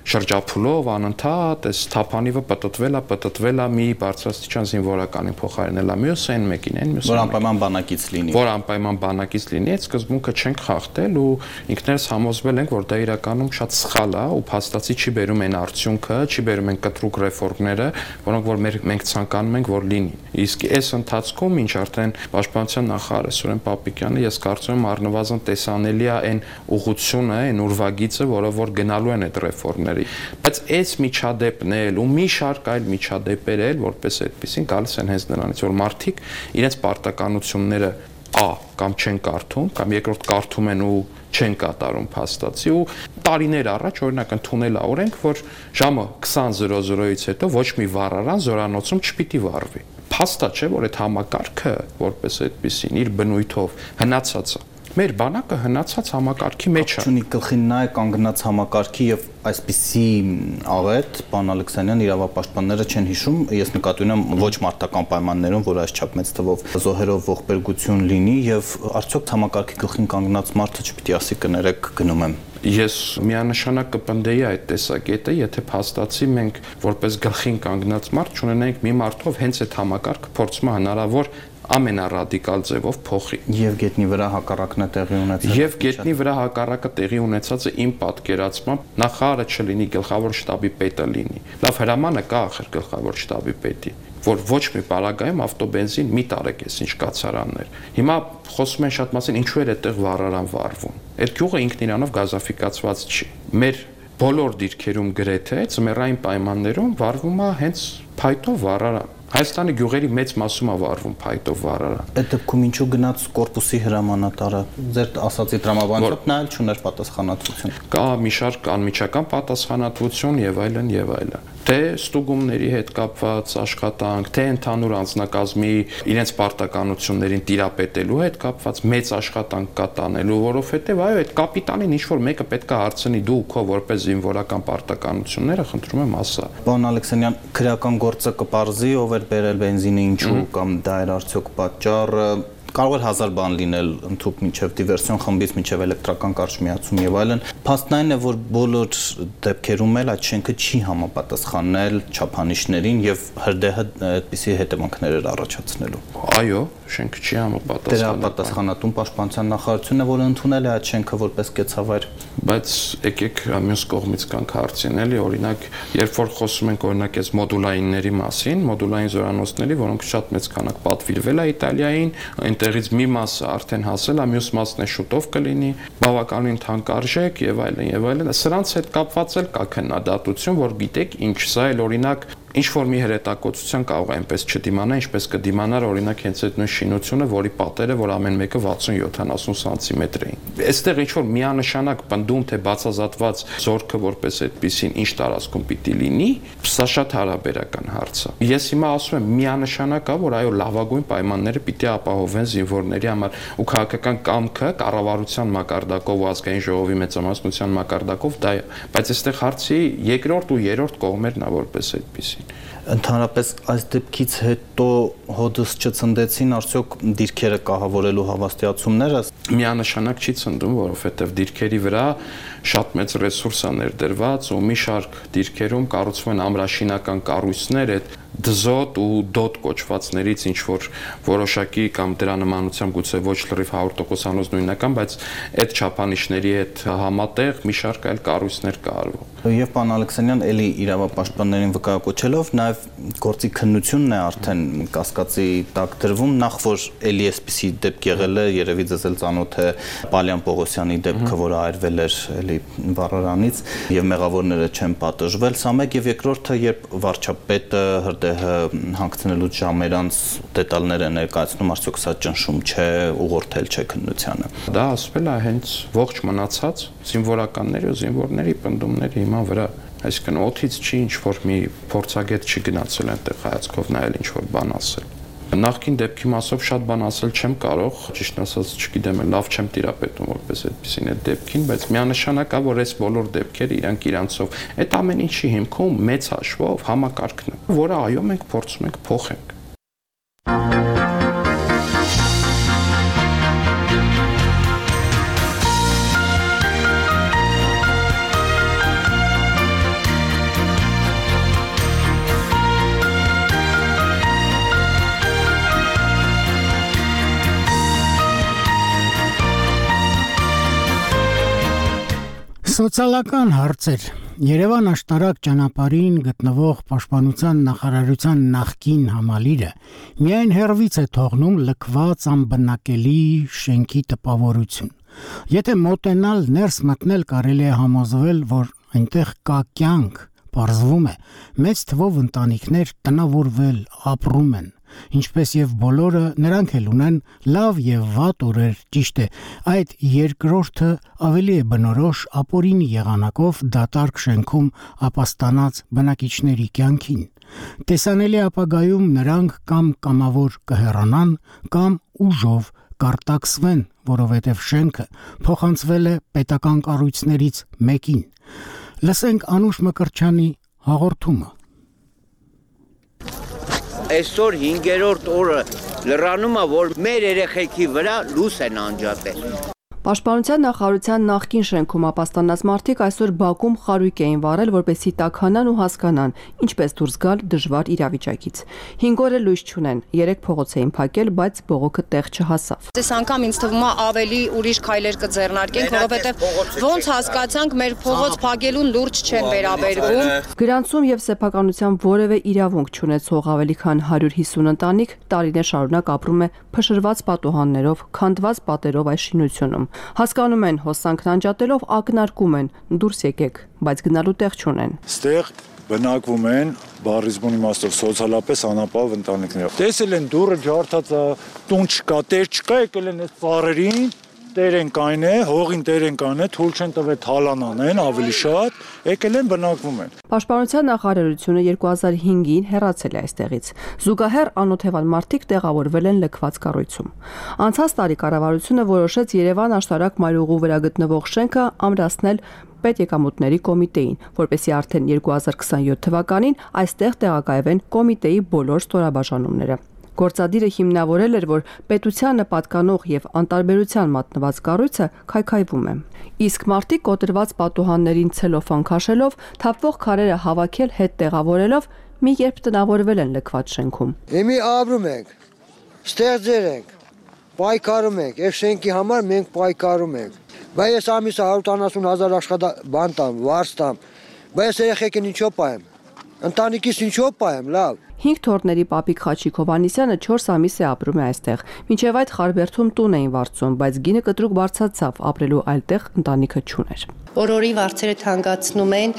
շրջափուլով անընդհատ, այս թափանիվը պտտվել է, պտտվել է մի բարձրաստիճան զինվորականին փոխարինել է մյուս այն մեկին, այն մյուս։ Որ անպայման բանակից լինի։ Որ անպայման բանակից լինի, այդ սկզբունքը չենք խախտել ու ինքներս համոզվել ենք, որ դա իրականում շատ սխալ է ու փաստացի չի բերում այն արդյունքը, չի բերում այն կտրուկ ռեֆորմները, որոնք որ մենք ցանկանում ենք, որ լինի։ Իսկ այս ընթացքում, ինչ արդեն պաշտպանության նախարար Սուրեն Պապիկյանը, ես կարծում եմ առնվազն տեսանելի է այն ուղղությունը, այն ուրվագիծը, որով որ գնալու են այդ ռեֆորմների։ Բայց այս միջադեպն էլ ու մի շարք այլ միջադեպեր էլ որպես այդպեսին գալիս են հենց նրանից, որ մարդիկ իրենց պարտականությունները ա կամ չեն կարդում, կամ երկրորդ կարդում են ու չեն կատարում փաստացի ու տարիներ առաջ օրինակ ընդունել է օրենք, որ ժամը քսան զրո զրոից հետո ոչ մի վառարան զորանոցում չպիտի վառվի։ Փաստա չէ, որ այդ համակարգը որպես այդպեսին իր բնույթով հնացած է։ Մեր բանակը հնացած համակարգի մեջ է։ Չունի գլխին նա է կանգնած համակարգի եւ այսպիսի աղետ պարոն Ալեքսանյան իրավապաշտպանները չեն հիշում, ես նկատի ունեմ ոչ մարտական պայմաններում, որ այսչափ մեծ թվով զոհերով ողբերգություն լինի եւ արդյոք համակարգի գլխին կանգնած մարդը չպիտի ասի կներեք գնում եմ։ Ես միանշանակ կպնդեի այդ տեսակետը, եթե փաստացի մենք որպես գլխին կանգնած մարդ չունենայինք մի մարդով հենց այդ համակարգը փորձում է հնարավոր ամենառադիկալ ձևով փոխի։ Եվ գետնի վրա հակառակն է տեղի ունեցել։ Եվ գետնի վրա հակառակը տեղի ունեցածը իմ պատկերացմամբ նախարարը չլինի, գլխավոր շտաբի պետը լինի։ Լավ, հրամանը կա ախր գլխավոր շտաբի պետի, որ ոչ մի պարագայում ավտոբենզին մի տարեք էս ինչ կացարաններ։ Հիմա խոսում են շատ մասին, ինչու էր այդտեղ վառարան վառվում։ Այդ գյուղը ինքն իրանով գազաֆիկացված չի։ Մեր բոլոր դիրքերում գրեթե ծմերային պայմաններում վառվում է հենց փայտով վառարան։ Հայաստանի գյուղերի մեծ մասում է վառվում փայտով վառարան։ Այդ դեպքում ինչու գնաց կորպուսի հրամանատարը ձեր ասացի տրամաբանությամբ նա էլ չուներ պատասխանատվություն։ Կա մի շարք անմիջական պատասխանատվություն եւ այլն եւ այլն։ Թե ստուգումների հետ կապված աշխատանք, թե ընդհանուր անձնակազմի իրենց պարտականություններին տիրապետելու հետ կապված մեծ աշխատանք կա տանելու, որովհետեւ այո, այդ կապիտանին ինչ որ մեկը պետք է հարցնի դու քո որպես զինվորական պարտականությունները, խնդրում եմ ասա։ Պարոն Ալեքսանյան, քրեական գործը կպարզի ով էր բերել բենզինը ինչու կամ դա էր արդյոք պատճառը։ Կարող էր հազար բան լինել ընդհանուր մինչև դիվերսիոն խմբից մինչև էլեկտրական կարճ միացում եւ այլն։ Փաստն այն է, որ բոլոր դեպքերում էլ այդ շենքը չի համապատասխանել չափանիշներին եւ հրդեհը այդպիսի հետևանքներ էր առաջացնելու։ Այո, շենքը չի համապատասխանել։ Դրա պատասխանատուն պաշտպանության նախարարությունն է, որը ընդունել է այդ շենքը որպես կեցավայր։ Բայց եկեք մյուս կողմից կանք հարցին, էլի, օրինակ, երբ որ խոսում ենք օրինակ այս մոդուլայինների մասին, մոդուլային զորանոցների, որոնք շատ մեծ քանակ պատվիրվել է Իտալիային, այնտեղից մի մասը արդեն հասել է, մյուս մասն է շուտով կլինի, բավականին թանկարժեք եւ այլն եւ այլն։ Սրանց հետ կապված էլ կա քննադատություն, որ գիտեք, ինչ սա էլ օրինակ ինչ որ մի հրետակոծության կարող է այնպես չդիմանա, ինչպես կդիմանար օրինակ հենց այդ նույն շինությունը, որի պատերը, որ ամեն մեկը վաթսուն յոթանասուն սանտիմետր էին։ Այստեղ ինչ որ միանշանակ պնդում թե բացազատված զորքը որպես այդպեսին ինչ տարածքում պիտի լինի, սա շատ հարաբերական հարց է։ Ես հիմա ասում եմ միանշանակ է, որ այո լավագույն պայմանները պիտի ապահովեն զինվորների համար ու քաղաքական կամքը կառավարության մակարդակով ու ազգային ժողովի մեծամասնության մակարդակով դա է, բայց այստեղ հարցի երկրորդ ու երրորդ կողմերն է որպես այդպեսին։ Ընդհանրապես այս դեպքից հետո հոդս չցնդեցին արդյոք դիրքերը կահավորելու հավաստիացումները։ Միանշանակ չի ցնդում, որովհետև դիրքերի վրա շատ մեծ ռեսուրս է ներդրված ու մի շարք դիրքերում կառուցվում են ամրաշինական կառույցներ, այդ դզոտ ու դոտ կոչվածներից ինչ որ որոշակի կամ դրա նմանությամբ գուցե ոչ լրիվ հարյուր տոկոսանոց նույնական, բայց այդ չափանիշների հետ համատեղ մի շարք այլ կառույցներ կա արվում։ Եվ պարոն Ալեքսանյան, էլի իրավապաշտպաններին վկայակոչելով նաև գործի քննությունն է արդեն կասկածի տակ դրվում, նախ որ էլի էսպիսի դեպք եղել է, երևի ձեզ էլ ծանոթ է Պալյան Պողոսյանի դեպքը, որը այրվել էր էլի վառարանից եւ մեղավորները չեն պատժվել, սա մեկ, եւ երկրորդը, երբ վարչապետը հրդեհը հանգցնելուց ժամերանց դետալներ է ներկայացնում, արդյոք սա ճնշում չէ, ուղղորդել չէ քննությանը։ Դա ասվել է հենց ողջ մնացած զինվորականների ու զինվորների պնդումների հիման վրա, այսինքն օդից չի ինչ որ մի փորձագետ չի գնացել այնտեղ հայացքով նայել ինչ որ բան ասել։ Նախքին դեպքի մասով շատ բան ասել չեմ կարող, ճիշտ ասած չգիտեմ, լավ չեմ տիրապետում որպես այդպեսին այդ դեպքին, բայց միանշանակ է, որ այս բոլոր դեպքերը իրանք իրանցով այդ ամեն ինչի հիմքում մեծ հաշվով համակարգն է, որը այո մենք փորձում ենք փոխենք։ Սոցիալական հարցեր Երևան աշտարակ ճանապարհին գտնվող Պաշտպանության նախարարության նախկին համալիրը միայն հերվից է թողնում լքված անբնակելի շենքի տպավորություն։ Եթե մոտենալ ներս մտնել կարելի է համոզվել, որ այնտեղ կա կյանք, պարզվում է, մեծ թվով ընտանիքներ տնավորվել, ապրում են։ Ինչպես եւ բոլորը նրանք էլ ունեն լավ եւ վատ օրեր, ճիշտ է, այդ երկրորդը ավելի է բնորոշ ապօրինի եղանակով դատարկ շենքում ապաստանած բնակիչների կյանքին։ Տեսանելի ապագայում նրանք կամ կամավոր կհեռանան, կամ ուժով կարտաքսվեն, որովհետև շենքը փոխանցվել է պետական կառույցներից մեկին։ Լսենք Անուշ Մկրտչյանի հաղորդումը։ Այսօր հինգերորդ օրը լրանում է, որ մեր երեխեքի վրա լույս են անջատել։ Պաշտպանության նախարարության նախկին շենքում ապաստանած մարդիկ այսօր Բաքում խարույկ էին վառել, որպեսզի տաքանան ու հասկանան, ինչպես դուրս գալ դժվար իրավիճակից։ հինգ օր է լույս չունեն, երեք փողոց էին փակել, բայց բողոքը տեղ չհասավ։ Այս անգամ ինձ թվում է ավելի ուրիշ քայլեր կձեռնարկենք, որովհետև ոնց հասկացանք, մեր փողոց փակելուն լուրջ չեն վերաբերվում։ Գրանցում եւ սեփականության որևէ իրավունք չունեցող ավելի քան հարյուր հիսուն ընտանիք տարիներ շարունակ ապրում է փշրված պատուհաններով, քանդված պատերով այս շինությունում։ Հասկանում են, հոսանքն անջատելով ակնարկում են, դուրս եկեք, բայց գնալու տեղ չունեն։ Ստեղ բնակվում են բառիզմուն իմաստով սոցիալապես անապահով ընտանիքներ։ Տեսել են դուռը ջարդած, տուն չկա, տեր չկա, եկել են այս ծառերին, տեր են կայն է, հողին տեր են կայն է, թույլ չեն տվել թալանանեն ավելի շատ, եկել են բնակվում են։ Պաշտպանության նախարարությունը երկու հազար հինգին հեռացել է այստեղից։ Զուգահեռ անօթևան մարդիկ տեղավորվել են լքված կառույցում։ Անցած տարի կառավարությունը որոշեց Երևան աշտարակ մայրուղու վրա գտնվող շենքը ամրացնել պետեկամուտների կոմիտեին, որպեսզի արդեն երկու հազար քսանյոթ թվականին այստեղ տեղակայվեն կոմիտեի բոլոր ստորաբաժանումները։ Գործադիրը հիմնավորել էր, որ պետությանը պատկանող եւ անտարբերության մատնված կառույցը քայքայվում է։ Իսկ մարդիկ կոտրված պատուհաններին ցելոֆան քաշելով, թափվող քարերը հավաքել հետ տեղավորելով մի երբ տնավորվել են լքված շենքում։ Եմի ապրում ենք, ստեղծեր ենք, պայքարում ենք, եւ շենքի համար մենք պայքարում ենք։ Բայց ես ամիսը հարյուր տասնութ հազար աշխատաբան տամ, վարձ տամ, բայց երեխեքին ինչո՞ւ պայեմ։ Ընտանիքիս ինչո՞ւ պայեմ, լավ։ Հինգ թորների պապիկ Խաչիկ Հովհաննիսյանը չորս ամիս է ապրում է այստեղ։ Մինչև այդ Խարբերդում տուն էին վարձում, բայց գինը կտրուկ բարձրացավ, ապրելու այլ տեղ ընտանիքը չուներ։ Օրորի վարձերը թանկացնում են,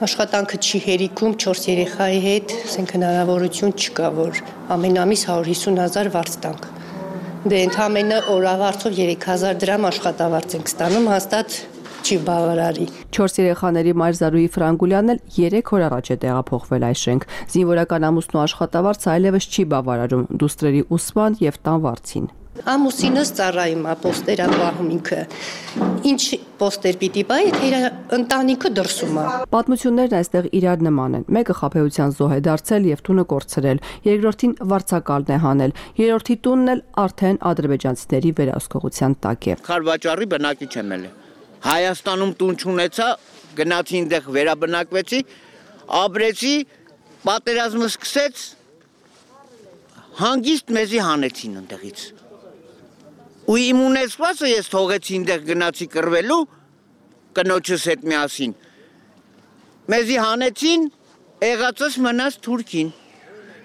աշխատանքը չի հերիքում, չորս երեխայի հետ, ասենք հնարավորություն չկա, որ ամեն ամիս հարյուր հիսուն հազար վարձ տանք։ Դե ընդամենը օրավարձով երեք հազար դրամ աշխատավարձ ենք ստանում, հաստատ չի բավարարի։ Չորս երեխաների մայր Զարուհի Ֆրանգուլյանն էլ երեք օր առաջ է տեղափոխվել այս շենք։ Զինվորական ամուսնու աշխատավարձը այլևս չի բավարարում դուստրերի ուսման եւ տան վարձին։ Ամուսինս ծառայում է, պոստեր է պահում ինքը։ Ինչ պոստեր պիտի պահի, եթե իր ընտանիքը դրսում է։ Պատմություններն այստեղ իրար նման են։ Մեկը խաբեության զոհ է դարձել եւ տունը կորցրել, երկրորդին վարձակալն է հանել, երրորդի տունն էլ արդեն ադրբեջանցիների վերահսկողության տակ է։ Խարվաճարի բնակիչ եմ ել։ Հայաստանում տուն չունեցա, գնացի այնտեղ վերաբնակվեցի, ապրեցի, պատերազմը սկսեց, հանգիստ մեզի հանեցին այնտեղից։ Ու իմ ունեցվածը ես թողեցի այնտեղ գնացի կռվելու կնոջս հետ միասին։ Մեզի հանեցին, եղածս մնաց Թուրքին։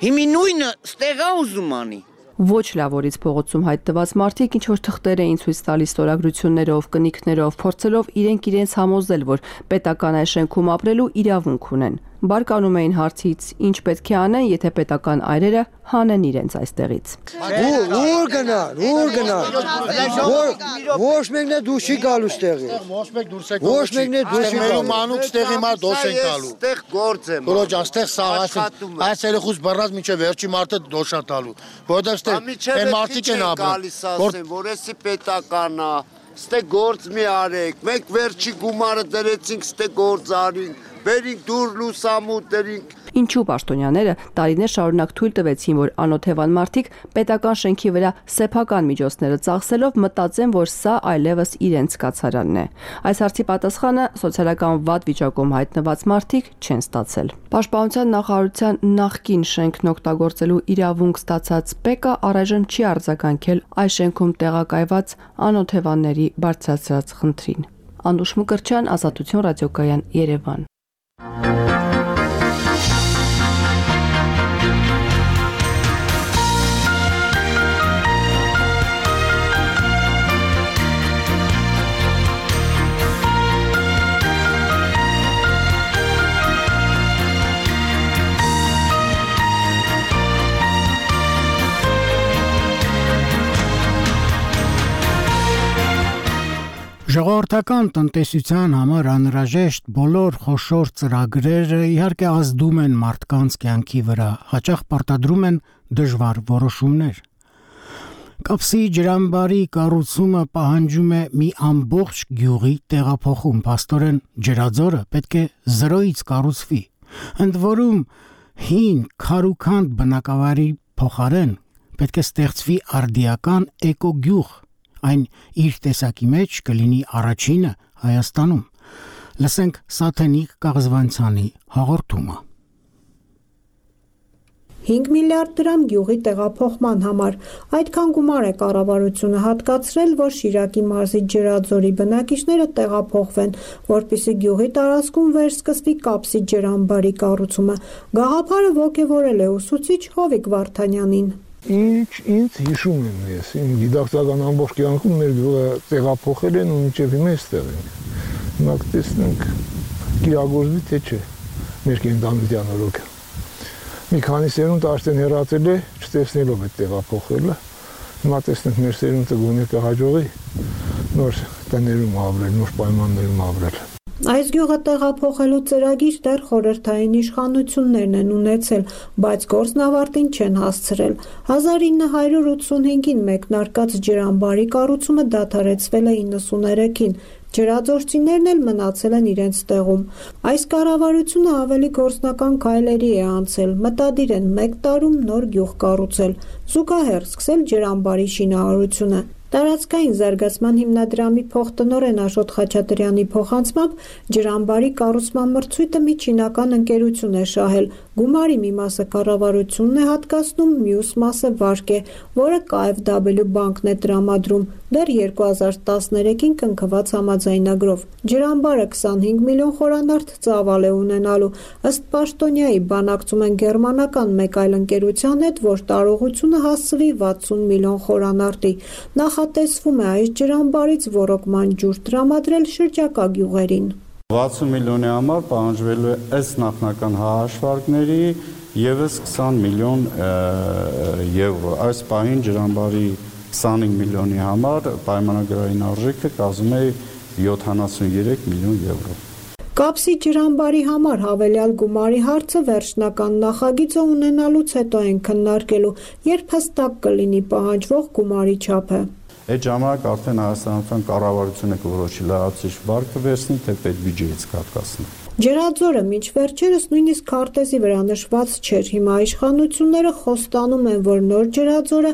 Հիմի նույնը ստեղա ուզում անի։ Ոչ լավորից փողոցում հայտնված մարդիկ ինչ որ թղթեր էին ցույց տալիս ստորագրություններով, կնիքներով, փորձելով իրենք իրենց համոզել, որ պետական այս շենքում ապրելու իրավունք ունեն։ Բարկանում էին հարցից, ինչ պետք է անեն, եթե պետական այրերը հանեն իրենց այստեղից։ Ուր գնան, ուր գնան։ Ոչ մեկն է դուրս չի գալու ստեղի։ Ոչ մեկ դուրս է գալու։ Ոչ մեկն է դուրս չի գալու։ Մանուկ ստեղի մար դոս են գալու։ Ստեղ գործ եմ։ Որոջ աստեղ սաղասին։ Այս երեխուց բռնած միջև վերջի մարդը դոշա տալու։ Որովհետև ստեղ այն մարդիկ են ապրում, որ էսի պետական է, ստեղ գործ մի արեք։ Մենք վերջի գումարը դրեցինք, ստեղ գործ արինք։ Բերինք դուր լուսամուտերինք։ Ինչու պաշտոնյաները տարիներ շարունակ թույլ տվեցին, որ անօթևան մարդիկ պետական շենքի վրա սեփական միջոցները ծախսելով մտածեն, որ սա այլևս իրենց կացարանն է։ Այս հարցի պատասխանը սոցիալական վատ վիճակում հայտնված մարդիկ չեն ստացել։ Պաշտպանության նախարարության նախկին շենքն օգտագործելու իրավունք ստացած ՊԵԿ-ը առայժմ չի արձագանքել այս շենքում տեղակայված անօթևանների բարձրացած խնդրին։ Անդուշ Մկրտչյան, Ազատություն ռադիոկայան, Երևան։ Ժողովրդական տնտեսության համար անհրաժեշտ բոլոր խոշոր ծրագրերը իհարկե ազդում են մարդկանց կյանքի վրա, հաճախ պարտադրում են դժվար որոշումներ։ Կապսի ջրամբարի կառուցումը պահանջում է մի ամբողջ գյուղի տեղափոխում, փաստորեն ջրաձորը պետք է զրոյից կառուցվի։ Ընդ որում հին քարուքանդ բնակավայրի փոխարեն պետք է ստեղծվի արդիական էկոգյուղ, Այն իր տեսակի մեջ կլինի առաջինը Հայաստանում։ Լսենք Սաթենիկ Կաղզվանցյանի հաղորդումը։ հինգ միլիարդ դրամ գյուղի տեղափոխման համար։ Այդքան գումար է կառավարությունը հատկացրել, որ Շիրակի մարզի Ջրաձորի բնակիչները տեղափոխվեն, որպեսզի գյուղի տարածքում վերսկսվի կապսի ջրամբարի կառուցումը։ Գաղափարը ոգևորել է ուսուցիչ Հովիկ Վարդանյանին։ Ինչ ինձ հիշում եմ ես, իմ գիտակցական ամբողջ կյանքում մեր գյուղը տեղափոխել են ու մինչև հիմա էստեղ ենք։ Հիմա կտեսնենք կիրագործվի թե չէ մեր կենդանության օրոքը։ Մի քանի սերունդ արդեն հեռացել է, չտեսնելով այդ տեղափոխելը։ Հիմա տեսնենք մեր սերունդը գոնե կհաջողի նոր տներում ապրել, նոր պայմաններում ապրել։ Այս գյուղը տեղափոխելու ծրագիր դեռ խորհրդային իշխանություններն են ունեցել, բայց գործն ավարտին չեն հասցրել։ հազար ինը հարյուր ութսունհինգին մեկնարկած ջրամբարի կառուցումը դադարեցվել է իննսուներեքին, ջրաձորցիներն էլ մնացել են իրենց տեղում։ Այս կառավարությունը ավելի գործնական քայլերի է անցել, մտադիր են մեկ տարում նոր գյուղ կառուցել, զուգահեռ սկսել ջրամբարի շինարարությունը։ Տարածքային զարգացման հիմնադրամի փոխտնօրեն Աշոտ Խաչատրյանի փոխանցմամբ ջրամբարի կառուցման մրցույթը մի չինական ընկերություն է շահել։ Գումարի մի մասը կառավարությունն է հատկացնում, մյուս մասը վարկ է, որը K F W բանկն է տրամադրում, դեռ երկու հազար տասներեքին կնքված համաձայնագրով։ Ջրամբարը քսանհինգ միլիոն խորանարդ ծավալ է ունենալու։ Ըստ պաշտոնյայի բանակցում են գերմանական մեկ այլ ընկերության հետ, որ տարողությունը հասցվի վաթսուն միլիոն խորանարդի։ Նախատեսվում է այս ջրամբարից ոռոգման ջուր տրամադրել շրջակա գյուղերին։ վաթսուն միլիոնի համար պահանջվելու է ըստ նախնական հաշվարկների ևս քսան միլիոն եվրո։ Այս պահին ջրամբարի քսանհինգ միլիոնի համար պայմանագրային արժեքը կազմում է յոթանասունյոթ միլիոն եվրո։ Կապսի ջրամբարի համար հավելյալ գումարի հարցը վերջնական նախագիծը ունենալուց հետո են քննարկելու, երբ հստակ կլինի պահանջվող գումարի չափը։ Այդ ժամանակ արդեն Հայաստանական կառավարությունը կորոշի լրացուցիչ վարկ կվերցնի, թե պետբյուջեից կարգացնի։ Ջրաձորը մինչ վերջերս նույնիսկ քարտեզի վրա նշված չէր, հիմա իշխանությունները խոստանում են, որ նոր Ջրաձորը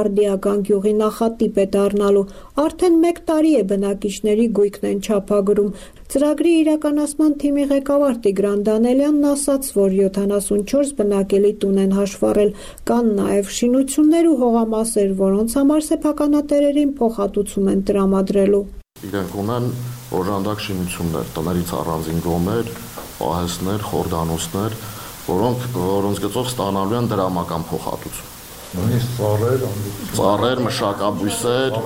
արդիական գյուղի նախատիպ է դառնալու։ Արդեն մեկ տարի է բնակիչների գույքն են չափագրում։ Ծրագրի իրականացման թիմի ղեկավար Տիգրան Դանելյանն ասաց, որ յոթանասունչորս բնակելի տուն են հաշվառել, կան նաև շինություններ ու հողամասեր, որոնց համար սեփականատերերին փոխհատուցում են տրամադրելու։ Իրենք ունեն օժանդակ շինություններ, տներից առանձին գոմեր, պահեստներ, խորդանոցներ, որոնք որոնց գծով ստանալու են դրամական փոխհատուցում։ Նույնիսկ ծառեր, ծառեր, մշակաբույսեր,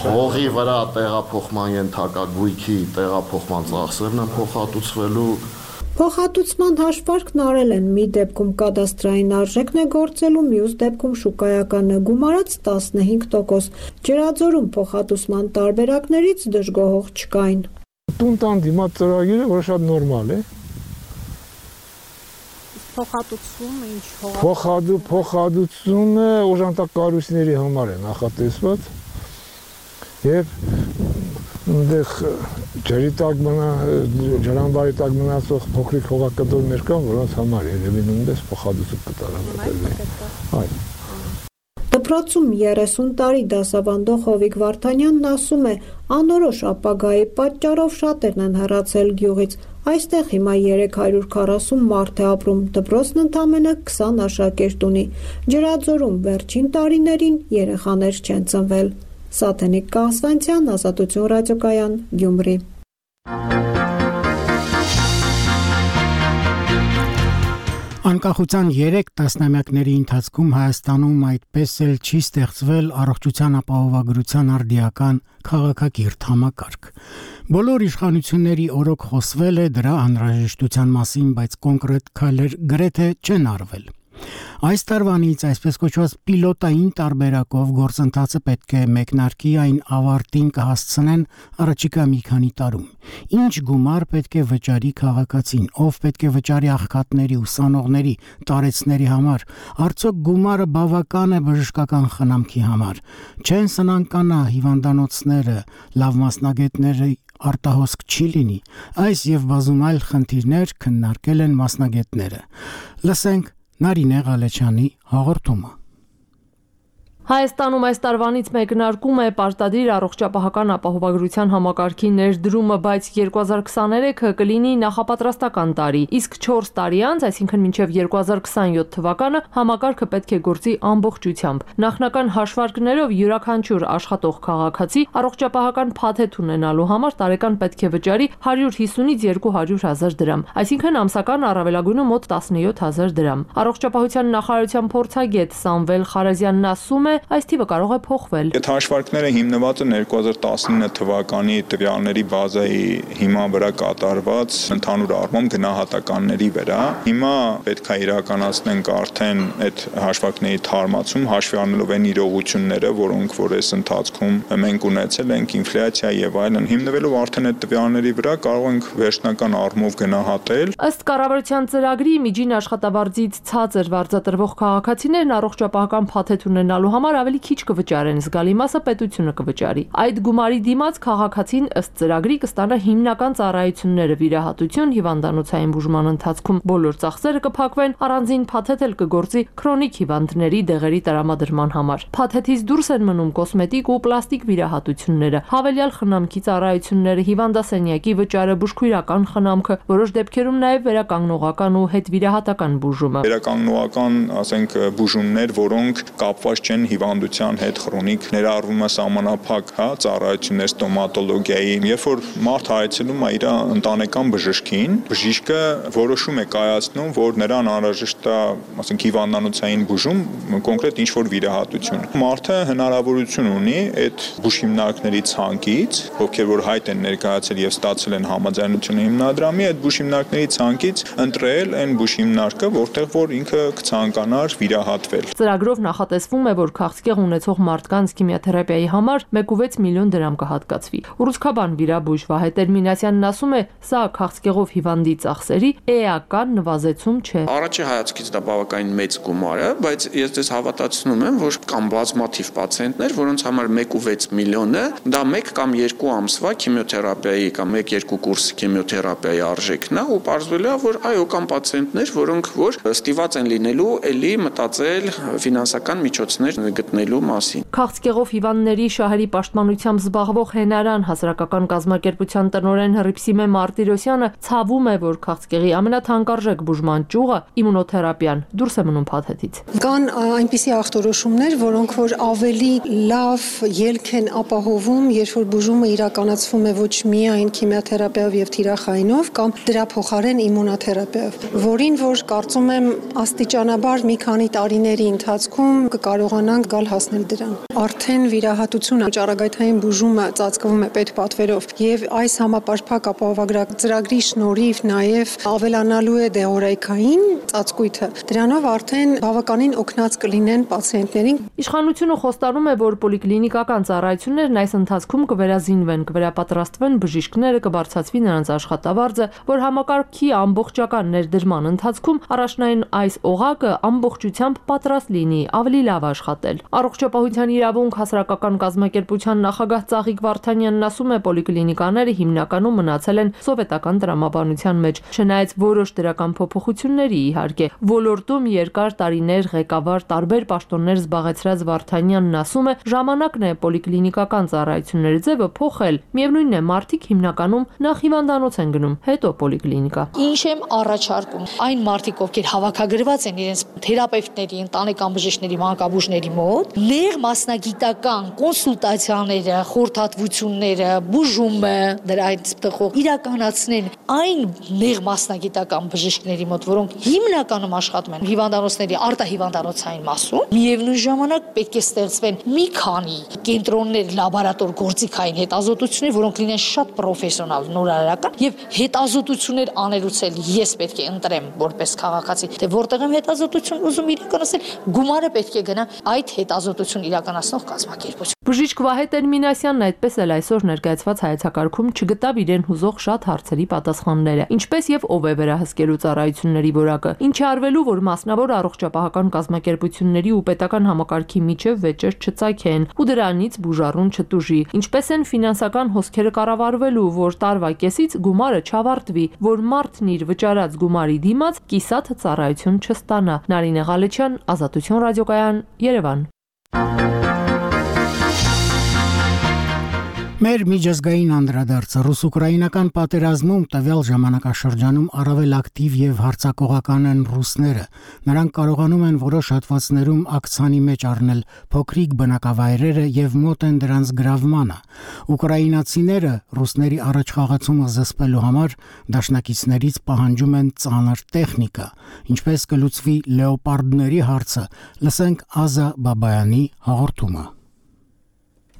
հողի վրա տեղափոխման ենթակա գույքի տեղափոխման ծախսերն են փոխհատուցվելու։ Փոխհատուցման հաշվարկն արել են, մի դեպքում կադաստրային արժեքն է գործելու, մյուս դեպքում շուկայականը, գումարած տասնհինգ տոկոս։ Ջրաձորում փոխհատուցման տարբերակներից դժգոհող չկային։ Տուն տան դիմաց ծրագիրը որ շատ նորմալ է։ Փոխհատուցումը ինչ հող։ Փոխհատու փոխհատուցումը օժանդակ կառույցների համար է նախատեսված եւ այնտեղ ջրի տակ մնա ջրամբարի տակ մնացող փոքրիկ հողակտորներ կան, որոնց համար երևի նույնպես փոխհատուցում կտարավորվի։ Այո։ Դպրոցում երեսուն տարի դասավանդող Հովիկ Վարդանյանն ասում է, անորոշ ապագայի պատճառով շատերն են հեռացել գյուղից։ Այստեղ հիմա երեք հարյուր քառասուն մարդ է ապրում, դպրոցն ընդամենը քսան աշակերտ ունի։ Ջրաձորում վերջին տարիներին երեխաներ չեն ծնվել։ Սաթենիկ Կաղզվանցյան, Ազատություն ռադիոկայան, Գյումրի։ Անկախության երեք տասնամյակների ընթացքում Հայաստանում այդպես էլ չի ստեղծվել առողջության ապահովագրության արդիական քաղաքակիրթ համակարգ։ Բոլոր իշխանությունների օրոք խոսվել է դրա անհրաժեշտության մասին, բայց կոնկրետ քայլեր գրեթե չեն արվել։ Այս տարվանից այսպես կոչված պիլոտային տարբերակով գործընթացը պետք է մեկնարկի, այն ավարտին կհասցնեն առաջիկա մի քանի տարում։ Ինչ գումար պետք է վճարի քաղաքացին, ով պետք է վճարի աղքատների, ուսանողների, տարեցների համար, արդյոք գումարը բավական է բժշկական խնամքի համար, չեն սնանկանա հիվանդանոցները, լավ մասնագետների արտահոսք չի լինի։ Այս եւ բազում այլ խնդիրներ քննարկել են մասնագետները։ Լսենք Նարինե Ղալեչյանի հաղորդումը։ Հայաստանում այս տարվանից մեկնարկում է պարտադիր առողջապահական ապահովագրության համակարգի ներդրումը, բայց երկու հազար քսաներեքը կլինի նախապատրաստական տարի, իսկ չորս տարի անց, այսինքն մինչև երկու հազար քսանյոթ թվականը, համակարգը պետք է գործի ամբողջությամբ։ Նախնական հաշվարկներով յուրաքանչյուր աշխատող քաղաքացի առողջապահական փաթեթ ունենալու համար տարեկան պետք է վճարի հարյուր հիսունից երկու հարյուր հազար դրամ, այսինքն ամսական առավելագույնը մոտ տասնյոթ հազար դրամ։ Առողջապահության նախարարության փորձագետ Սամվել Խարազյանն ասում է, այս թիվը կարող է փոխվել։ Այդ հաշվարկները հիմնված են երկու հազար տասնինը թվականի տվյալների բազայի հիման վրա կատարված ընդհանուր առմամբ գնահատականների վրա։ Հիմա պետք է իրականացնենք արդեն այդ հաշվարկների թարմացում, հաշվի առնելով այն իրողությունները, որոնք որ այս ընթացքում մենք ունեցել ենք, ինֆլյացիա եւ այլն, հիմնվելով արդեն այդ տվյալների վրա կարող ենք վերջնական առումով գնահատել։ Ըստ կառավարության ծրագրի միջին աշխատավարձից ցածր վարձատրվող քաղաքացիներն առողջապահական փաթեթ ունենալու համար ավելի քիչ կվճարեն, զգալի մասը պետությունը կվճարի։ Այդ գումարի դիմաց քաղաքացին ըստ ծրագրի կստանա հիմնական ծառայությունները՝ վիրահատություն, հիվանդանոցային բուժման ընթացքում բոլոր ծախսերը կփակվեն, առանձին փաթեթ էլ կգործի քրոնիկ հիվանդների դեղերի տրամադրման համար։ Փաթեթից դուրս են մնում կոսմետիկ ու պլաստիկ վիրահատությունները, հավելյալ խնամքի ծառայությունները, հիվանդասենյակի վճարը, բուժքույրական խնամքը, որոշ դեպքերում նաև վերականգնողական ու հետվիրահատական բուժումը։ Վերականգնողական, ասենք, բուժումներ, որոնք կապված չեն հիվանդության հետ, քրոնիկ, ներառվում է սահմանափակ, հա, ծառայություններ ստոմատոլոգիայի, երբ որ մարդ այցելում է իր ընտանեկան բժշկին, բժիշկը որոշում է կայացնում, որ նրան անհրաժեշտ է, ասենք, հիվանդանոցային բուժում, կոնկրետ ինչ-որ վիրահատություն։ Մարդը հնարավորություն ունի այդ բուժհիմնարկների ցանկից, ովքեր որ հայտ են ներկայացել եւ ստացել են համաձայնությունը հիմնադրամի, այդ բուժհիմնարկների ցանկից ընտրել այն բուժհիմնարկը, որտեղ որ ինքը կցանկանար վիրահատվել։ Ծրագրով նախատեսվում է, որ քաղցկեղ ունեցող մարդկանց քիմիոթերապիայի համար մեկ կόμμα վեց միլիոն դրամ կհատկացվի։ Ուռուցքաբան վիրաբույժ Վահե Տերմինասյանն ասում է, սա քաղցկեղով հիվանդի ծախսերի էական նվազեցում չէ։ Առաջի հայացքից դա բավականին մեծ գումար է, բայց ես դες հավատացնում եմ, որ կան բազմաթիվ պացիենտներ, որոնց համար մեկ կόμμα վեց միլիոնը դա մեկ կամ երկու ամսվա քիմիոթերապիայի կամ մեկ-երկու կուրս քիմիոթերապիայի արժեքն է, ու պարզվել է, որ այո, կան պացիենտներ, որոնք որ ստիված են լինելու էլի մտածել ֆինանսական միջոցներ գտնելու մասին։ Քաղցկեղով հիվանդների շահերի պաշտպանությամբ զբաղվող Հենարան հասարակական կազմակերպության տնօրեն Հռիփսիմե Մարտիրոսյանը ցավում է, որ քաղցկեղի ամենաթանկարժեք բուժման ճյուղը իմունոթերապիան դուրս է մնում փաթեթից։ Կան այնպիսի ախտորոշումներ, որոնք որ ավելի լավ ելք են ապահովում, երբ որ բուժումը իրականացվում է ոչ միայն քիմիոթերապիայով եւ թիրախայինով, կամ դրա փոխարեն իմունոթերապիայով, որին որ կարծում եմ աստիճանաբար մի քանի տարիների ընթացքում կկարողանանք գալ հասնել դրան։ Արդեն վիրահատությունը, ճառագայթային բուժումը ծածկվում է պետպատվերով եւ այս համապարփակ ապահովագրական ծրագրի շնորհիվ նաեւ ավելանալու է դեղորայքային ծածկույթը։ Դրանով արդեն բավականին օգնած կլինեն պացիենտներին։ Իշխանությունը խոստանում է, որ պոլիկլինիկական ծառայություններն այս ընթացքում կվերազինվեն, կվերապատրաստվեն բժիշկները, կբարձրացվի նրանց աշխատավարձը, որ համակարգի ամբողջական ներդրման ընթացքում առաջնային այս օղակը ամբողջությամբ պատրաստ լինի ավելի լավ աշխատել։ Առողջապահության իրավունք հասարակական կազմակերպության նախագահ Ծաղիկ Վարդանյանն ասում է, պոլիկլինիկաները հիմնականում մնացել են սովետական տրամաբանության մեջ, չնայած որոշ դրական փոփոխությունների իհարկե։ Ոլորտում երկար տարիներ ղեկավար տարբեր պաշտոններ զբաղեցրած Վարդանյանն ասում է, ժամանակն է պոլիկլինիկական ծառայությունների ձևը փոխել։ Միևնույնն է, մարդիկ հիմնականում նախ հիվանդանոց են գնում, հետո պոլիկլինիկա։ Ինչ եմ առաջարկում, այն մարդիկ, ովքեր հավաքագրված են իրենց թերապևտների, ընտանեկան բժիշկների, մանկաբույժների մոտ, նեղ մասնագիտական կոնսուլտացիաները, խորհրդատվությունները, բուժումը, դրա այդ տխող իրականացնեն այն նեղ մասնագիտական բժիշկների մոտ, որոնք հիմնականում աշխատում են հիվանդանոցների արտահիվանդանոցային մասում։ Միևնույն ժամանակ պետք է ստեղծվեն մի քանի կենտրոններ, լաբորատոր գործիքային հետազոտություններ, որոնք լինեն շատ պրոֆեսիոնալ, նորարարական եւ հետազոտություններ անելուց էլ ես պետք է ընտրեմ որպես քաղաքացի, թե որտեղ եմ հետազոտություն ուզում իրականացնել, գումարը պետք է գնա այդ հետազոտություն իրականացնող կազմակերպություն։ Բժիշկ Վահե Տերմինասյանն այդպես էլ այսօր ներկայացված հայեցակարգում չգտավ իրեն հուզող շատ հարցերի պատասխանները, ինչպես եւ ով է վերահսկելու ծառայությունների որակը, ինչ արվելու, որ մասնավոր առողջապահական կազմակերպությունների ու պետական համակարգի միջև վեճեր չծագեն ու դրանից բուժառուն չտուժի, ինչպես են ֆինանսական հոսքերը կառավարվելու, որ տարվա կեսից գումարը չավարտվի, որ մարդն իր վճարած գումարի դիմաց կիսատ ծառայություն չստանա։ Նարինե Ղալեչյան, Ազատություն ռադիոկայան, Երևան։ Մեր միջազգային անդրադարձը ռուս-ուկրաինական պատերազմում տվյալ ժամանակաշրջանում առավել ակտիվ եւ հարձակողական են ռուսները։ Նրանք կարողանում են որոշ հատվածներում ակցանի մեջ առնել փոքրիկ բնակավայրերը եւ մոտ են դրանց գրավմանը։ Ուկրաինացիները ռուսների առաջխաղացումը զսպելու համար դաշնակիցներից պահանջում են ծանր տեխնիկա։ Ինչպես կլուծվի լեոպարդների հարցը, լսենք Ազա Բաբայանի հաղորդումը։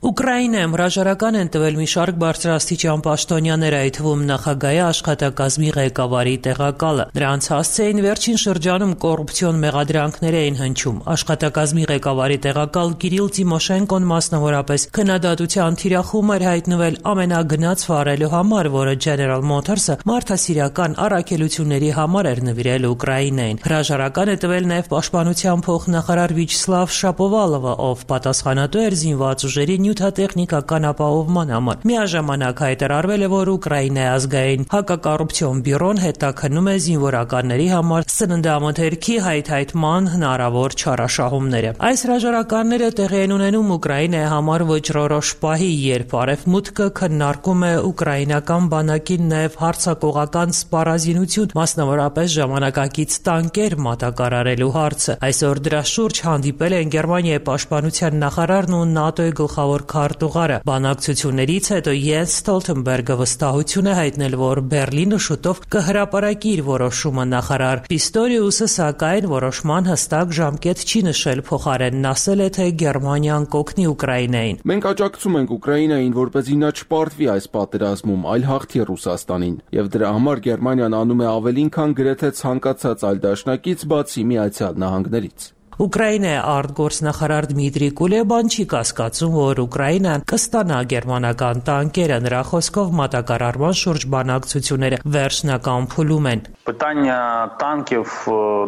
Ուկրաինայում հրաժարական են տվել մի շարք բարձրաստիճան պաշտոնյաներ, այդ թվում նախագահի աշխատակազմի ղեկավարի տեղակալը։ Նրանց հասցեին վերջին շրջանում կոռուպցիոն մեղադրանքներ էին հնչում։ Աշխատակազմի ղեկավարի տեղակալ Կիրիլ Տիմոշենկոն մասնավորապես քննադատության թիրախում էր հայտնվել ամենագնաց վարելու համար, որը General Motors-ը մարդասիրական առաքելությունների համար էր նվիրել Ուկրաինային։ Հրաժարական է տվել նաև պաշտպանության փոխնախարար Վիչսլավ Շապովալովը, ով պատասխանատու էր զինված ուժերի նյութատեխնիկական ապահովման համար։ Միաժամանակ հայտարարվել է, որ Ուկրաինայի ազգային հակակոռուպցիոն բյուրոն հետաքննում է զինվորականների համար սննդամթերքի հայթայթման հնարավոր չարաշահումները։ Այս հրաժարականները տեղի են ունենում Ուկրաինայի համար վճռորոշ պահի, երբ Արևմուտքը քննարկում է ուկրաինական բանակին նաև հարձակողական սպառազինություն, մասնավորապես ժամանակակից տանկեր մատակարարելու հարցը։ Այսօր դրա շուրջ հանդիպել են Գերմանիայի պաշտպանության նախարարն ու ՆԱՏՕ-ի գլխավոր քարտուղարը։ Բանակցություններից հետո Յենս Ստոլթենբերգը վստահություն է հայտնել, որ Բերլինը շուտով կհրապարակի իր որոշումը։ Նախարար Պիստորիուսը սակայն որոշման հստակ ժամկետ չի նշել, փոխարենն ասել է, թե Գերմանիան կօգնի Ուկրաինային։ Մենք աջակցում ենք Ուկրաինային, որպեսզի նա չպարտվի այս պատերազմում, այլ հաղթի Ռուսաստանին, եւ դրա համար Գերմանիան անում է ավելին, քան գրեթե ցանկացած այլ դաշնակից, բացի Միացյալ Նահանգներից։ Ուկրաինայի արտգործնախարար Դմիտրի Կուլեբան չի կասկածում, որ Ուկրաինան կստանա գերմանական տանկերը։ Նրա խոսքով մատակարարման շուրջ բանակցությունները վերջնական փուլում են։ Питання танків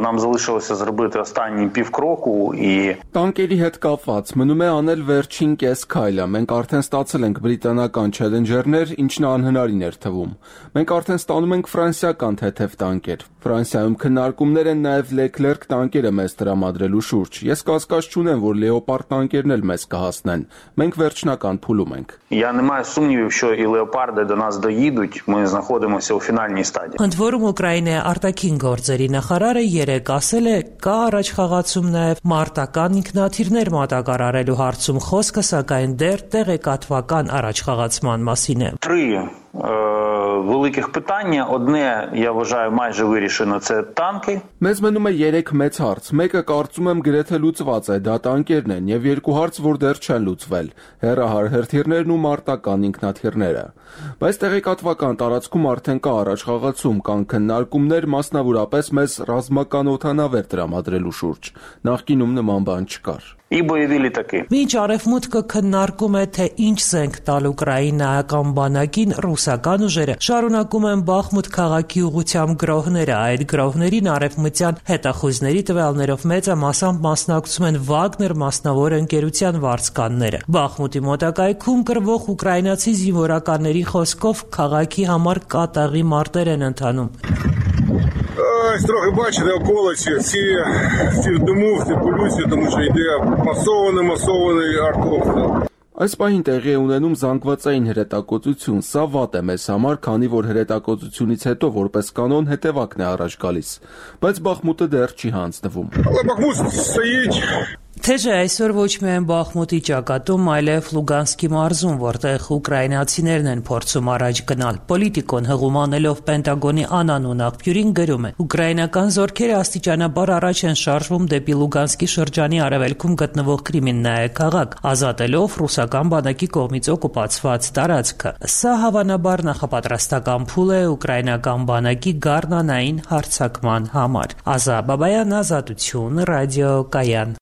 нам залишилося зробити останній півкроку і Տանկերի հետ կապված մնում է անել վերջին կես քայլը։ Մենք արդեն ստացել ենք բրիտանական Challenger-ներ, ինչն անհնարին էր թվում։ Մենք արդեն ստանում ենք ֆրանսիական թեթև տանկեր։ Ֆրանսիայում քննարկումներ են նաև Leclerc տանկերը մեզ տրամադրելու շուրջ։ Ես կասկած չունեմ, որ Leopard տանկերն էլ մեզ կհասնեն։ Մենք վերջնական փուլում ենք։ Я не маю сумнівів, що і леопарди до нас доїдуть. Ми знаходимося у фінальній стадії. Ընդ որում Ուկրաինայի արտաքին գործերի նախարարը երեկ ասել է, կա առաջխաղացում նաև մարտական ինքնաթիռներ մատակարարելու հարցում, խոսքը սակայն դեռ տեղեկատվական առաջխաղացման մասին է։ Три великих питання. Одне, я вважаю, майже вирішено, це танки. Մեզ մնում է երեք մեծ հարց։ Մեկը կարծում եմ գրեթե լուծված է, դա տանկերն են, եւ երկու հարց, որ դեռ չեն լուծվել՝ հեռահար հրթիռներն ու մարտական ինքնաթիռները։ Բայց տեղեկատվական տարածքում արդեն կա առաջխաղացում, կան քննարկումներ, մասնավորապես մեզ ռազմական օդանավեր տրամադրելու շուրջ։ Նախկինում նման բան չկար։ І бойові літаки. Մինչ Արևմուտքը քննարկում է, թե ինչ զենք տալ ուկրաինայական բանակին, ռուսական ուժերը շարունակում են Բախմուտ քաղաքի ուղղությամբ գրոհները։ Այդ գրոհներին արևմտյան հետախույզների տվյալներով մեծամասամբ մասնակցում են Վագներ մասնավոր ընկերության վարձկանները։ Բախմուտի մոտակայքում կռվող ուկրաինացի զինվորականների խոսքով քաղաքի համար կատաղի մարտեր են ընթանում։ Ось трохи бачите околиці, всі, всі в диму, всі в полюсі, тому що йде масований, масований артобстріл. Այս պահին տեղի է ունենում զանգվածային հրետակոծություն, սա վատ է մեզ համար, քանի որ հրետակոծությունից հետո որպես կանոն հետևակն է առաջ գալիս, բայց Բախմուտը դեռ չի հանձնվում։ Але Бахмут стоїть. Թեժը այսօր ոչ միայն Բախմուտի ճակատում, այլև Լուգանսկի մարզում, որտեղ ուկրաինացիներն են փորձում առաջ գնալ։ Պոլիտիկոն հղում անելով Պենտագոնի անանուն աղբյուրին գրում է. Ուկրաինական զորքերը աստիճանաբար առաջ են շարժվում դեպի Լուգանսկի շրջանի արևելքում գտնվող Կրիմիննայե քաղաք, ազատելով ռուսական բանակի կողմից օկուպացված տարածքը։ Սա հավանաբար նախապատրաստական փուլ է ուկրաինական բանակի գառնանային հարձակման համար։ Ազա Բաբայան, Ազատություն, Ռադիո Կայան։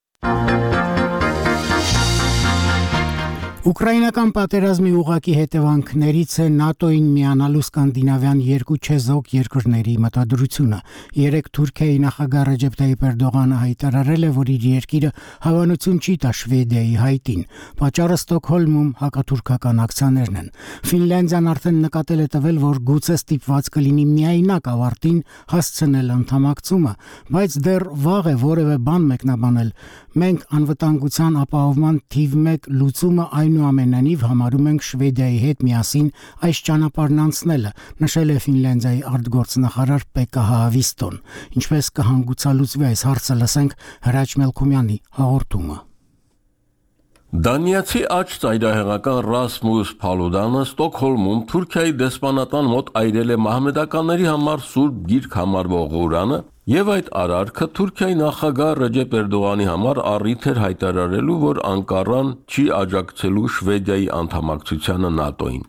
Ուկրաինական պատերազմի ուղղակի հետևանքներից է ՆԱՏՕ-ին միանալու սկանդինավյան երկու չեզոք երկրների մտադրությունը։ Երեք Թուրքիայի նախագահ Ռեջեփ Տայիպ Էրդողանը հայտարարել է, որ իր երկիրը հավանություն չի տա Շվեդիայի հայտին։ Պատճառը Ստոկհոլմում հակաթուրքական ակցիաներն են։ Ֆինլանդիան արդեն նկատել է տվել, որ գուցե ստիպված կլինի միայնակ ավարտին հասցնել անդամակցումը, բայց դեռ վաղ է որևէ բան մեկնաբանել։ Մենք անվտանգության ապահովման թիվ մեկ լուծումը այնուամենայնիվ համարում ենք Շվեդիայի հետ միասին այս ճանապարհն անցնելը, նշել է Ֆինլանդիայի արտգործնախարար Պեկկա Հaavisto-ն։ Ինչպես կհանգուցալուծվի այս հարցը, լսենք Հրաչ Մելքումյանի հաղորդումը։ Դանիացի աջ ծայրահեղական Ռասմուս Փալուդանը Ստոկհոլմում Թուրքիայի դեսպանատան մոտ այրել է մահմեդականների համար սուրբ գիրք համարվող Ղուրանը, եւ այդ արարքը Թուրքիայի նախագահ Ռեջեփ Էրդողանի համար առիթ էր հայտարարելու, որ Անկարան չի աջակցելու Շվեդիայի անդամակցությանը ՆԱՏՕ-ին։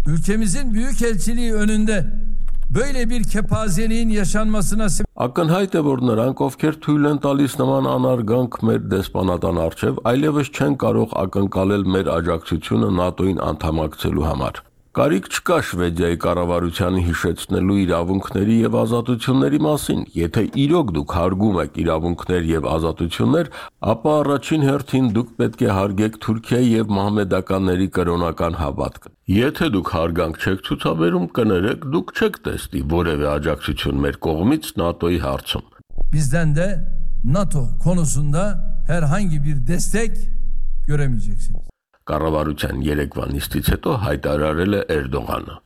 Ülkemizin büyükelçiliği önünde böyle bir kepazeliğin yaşanmasına Ակնհայտ է, որ նրանք, ովքեր թույլ են տալիս նման անարգանք մեր դեսպանատան առջև, այլևս չեն կարող ակնկալել մեր աջակցությունը ՆԱՏՕ-ին անդամակցելու համար։ Կարիք չկա Շվեդիայի կառավարությանը հիշեցնելու իրավունքների եւ ազատությունների մասին։ Եթե իրոք դուք հարգում եք իրավունքներ եւ ազատություններ, ապա առաջին հերթին դուք պետք է հարգեք Թուրքիայի եւ մահմեդականների կրոնական հավատքը։ Եթե դուք հարգանք չեք ցուցաբերում, կներեք, դուք չեք տեսնի որևէ աջակցություն մեր կողմից ՆԱՏՕ-ի հարցում։ Bizden de NATO konusunda herhangi bir destek göremeyeceksiniz. Կառավարության երեկվա նիստից հետո հայտարարել է Էրդողանը։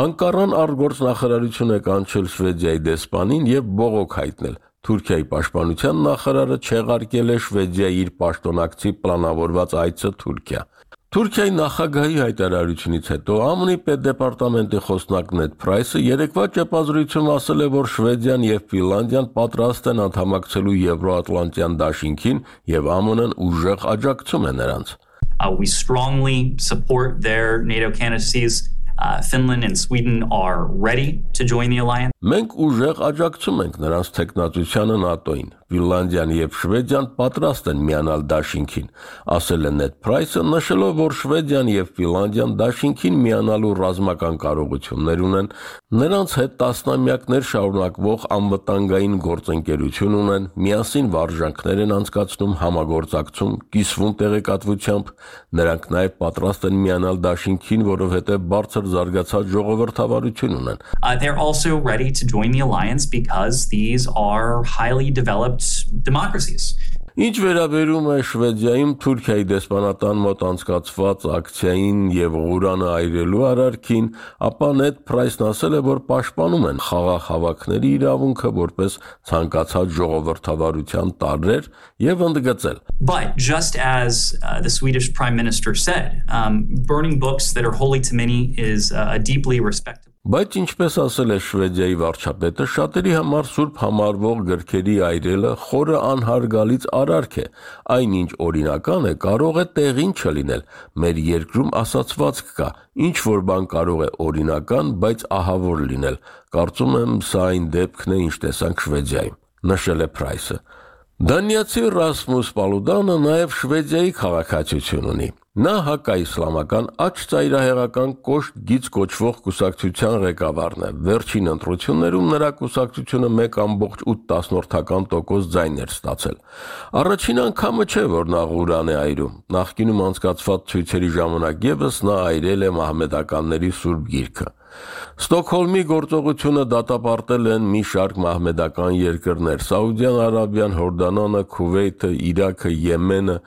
Անկարան արտգործնախարարություն է կանչել Շվեդիայի դեսպանին եւ բողոք հայտնել։ Թուրքիայի պաշտպանության նախարարը չեղարկել է Շվեդիայի իր պաշտոնակցի պլանավորված այցը Թուրքիա։ Թուրքիայի նախագահի հայտարարությունից հետո ԱՄՆ-ի պետդեպարտամենտի խոսնակ Նեդ Փրայսը երեկվա ճեպազրույցում ասել է, որ Շվեդիան եւ Ֆինլանդիան պատրաստ են անդամակցելու Եվրոատլանտյան դաշինքին եւ ԱՄՆ-ն ուժեղ աջակցում է նրանց։ Uh, we strongly support their NATO candidacies. Uh, Finland and Sweden are ready to join the alliance. Մենք ուժեղ աջակցում ենք նրանց տեխնատությանը ՆԱՏՕ-ին։ Ֆինլանդիան եւ Շվեդիան պատրաստ են միանալ դաշինքին, ասել է Նեդ Փրայսը, նշելով, որ Շվեդիան եւ Ֆինլանդիան դաշինքին միանալու ռազմական կարողություններ ունեն, նրանց հետ տասնամյակներ շարունակվող անվտանգային գործընկերություն ունեն, միասին վարժանքներ են անցկացնում համագործակցում, կիսվում տեղեկատվությամբ, նրանք նաեւ պատրաստ են միանալ դաշինքին, որովհետեւ բարձր զարգացած ժողովրդավարություն ունեն։ Uh, they're also ready to join the alliance because these are highly developed democracies. Ինչ վերաբերում է Շվեդիայում Թուրքիայի դեսպանատան մոտ անցկացված ակցիային եւ Ղուրանը այրելու արարքին, ապա Նեդ Փրայսն ասել է, որ պաշտպանում են խաղաղ հավաքների իրավունքը որպես ցանկացած ժողովրդավարության տարրեր եւ ընդգծել. But just as uh, the Swedish Prime Minister said, um, burning books that are holy to many is uh, a deeply respected. Բայց ինչպես ասել է Շվեդիայի վարչապետը, շատերի համար սուրբ համարվող գրքերի այրելը խորը անհարգալից արարք է, այնինչ օրինական է, կարող է տեղին չլինել։ Մեր երկրում ասացվածք կա, ինչ որ բան կարող է օրինական, բայց ահավոր լինել։ Կարծում եմ, սա այն դեպքն է, ինչ տեսանք Շվեդիայում, նշել է Փրայսը։ Դանիացի Ռասմուս Փալուդանը նաև Շվեդիայի քաղաքացիություն ունի։ Նա հակաիսլամական աջ ծայրահեղական կոշտ գիծ կոչվող կուսակցության ղեկավարն է։ Վերջին ընտրություններում նրա կուսակցությունը մեկ կόμma ութ տոկոս ձայն էր ստացել։ Առաջին անգամը չէ, որ նա Ղուրան է այրում։ Նախկինում անցկացված ցույցերի ժամանակ ևս նա այրել է մահմեդականների սուրբ գիրքը։ Ստոկհոլմի գործողությունը դատապարտել են մի շարք մահմեդական երկրներ՝ Սաուդյան Արաբիան, Հորդանանը, Քուվեյթը, Իրաքը, Եմենը։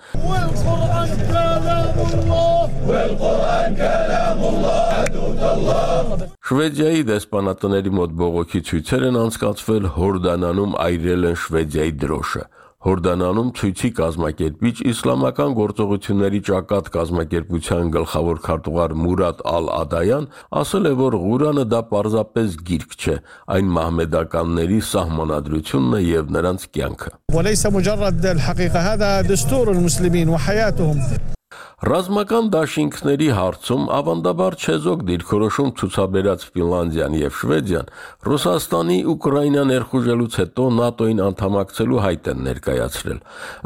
Շվեդիայի դեսպանատների մոտ բողոքի ցույցեր են անցկացվել, Հորդանանում այրել են Շվեդիայի դրոշը։ Հորդանանում ցույցի կազմակերպիչ իսլամական գործողությունների ճակատ կազմակերպության գլխավոր քարտուղար Մուրադ Ալ-Ադայան ասել է, որ Ղուրանը դա պարզապես գիրք չէ, այն մահմեդականների սահմանադրությունն է եւ նրանց կյանքը։ Ռազմական դաշինքների հարցում ավանդաբար չեզոք դիրքորոշում ցուցաբերած Ֆինլանդիան եւ Շվեդիան Ռուսաստանի Ուկրաինա ներխուժելուց հետո ՆԱՏՕ-ին անդամակցելու հայտ են ներկայացրել։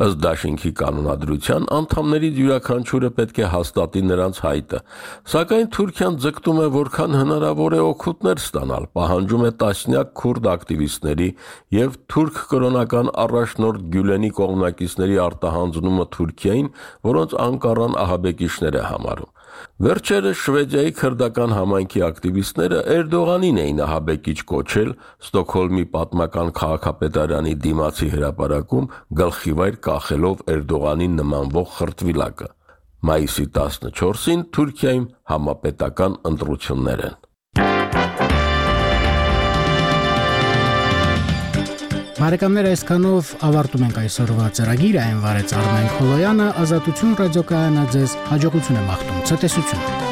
Ըստ դաշինքի կանոնադրության անդամներից յուրաքանչյուրը պետք է հաստատի նրանց հայտը, սակայն Թուրքիան ձգտում է որքան հնարավոր է օգուտներ ստանալ, պահանջում է տասնյակ քուրդ ակտիվիստների եւ թուրք կրոնական առաջնորդ Գյուլենի կողմնակիցների արտահանձնումը Թուրքիային, որոնց Անկարան ահաբեկիչներ է համարում։ Վերջերս Շվեդիայի քրդական համայնքի ակտիվիստները Էրդողանին էին ահաբեկիչ կոչել Ստոկհոլմի պատմական քաղաքապետարանի դիմացի հրապարակում գլխիվայր կախելով Էրդողանին նմանվող խրտվիլակը։ Մայիսի տասնչորսին Թուրքիայում համապետական ընտրություններ են։ Բարեկամներ, այսքանով ավարտում ենք այսօրվա ծրագիրը, այն վարեց Արմեն Խոլոյանը, Ազատություն ռադիոկայանը ձեզ հաջողություն է մաղթում, ցտեսություն։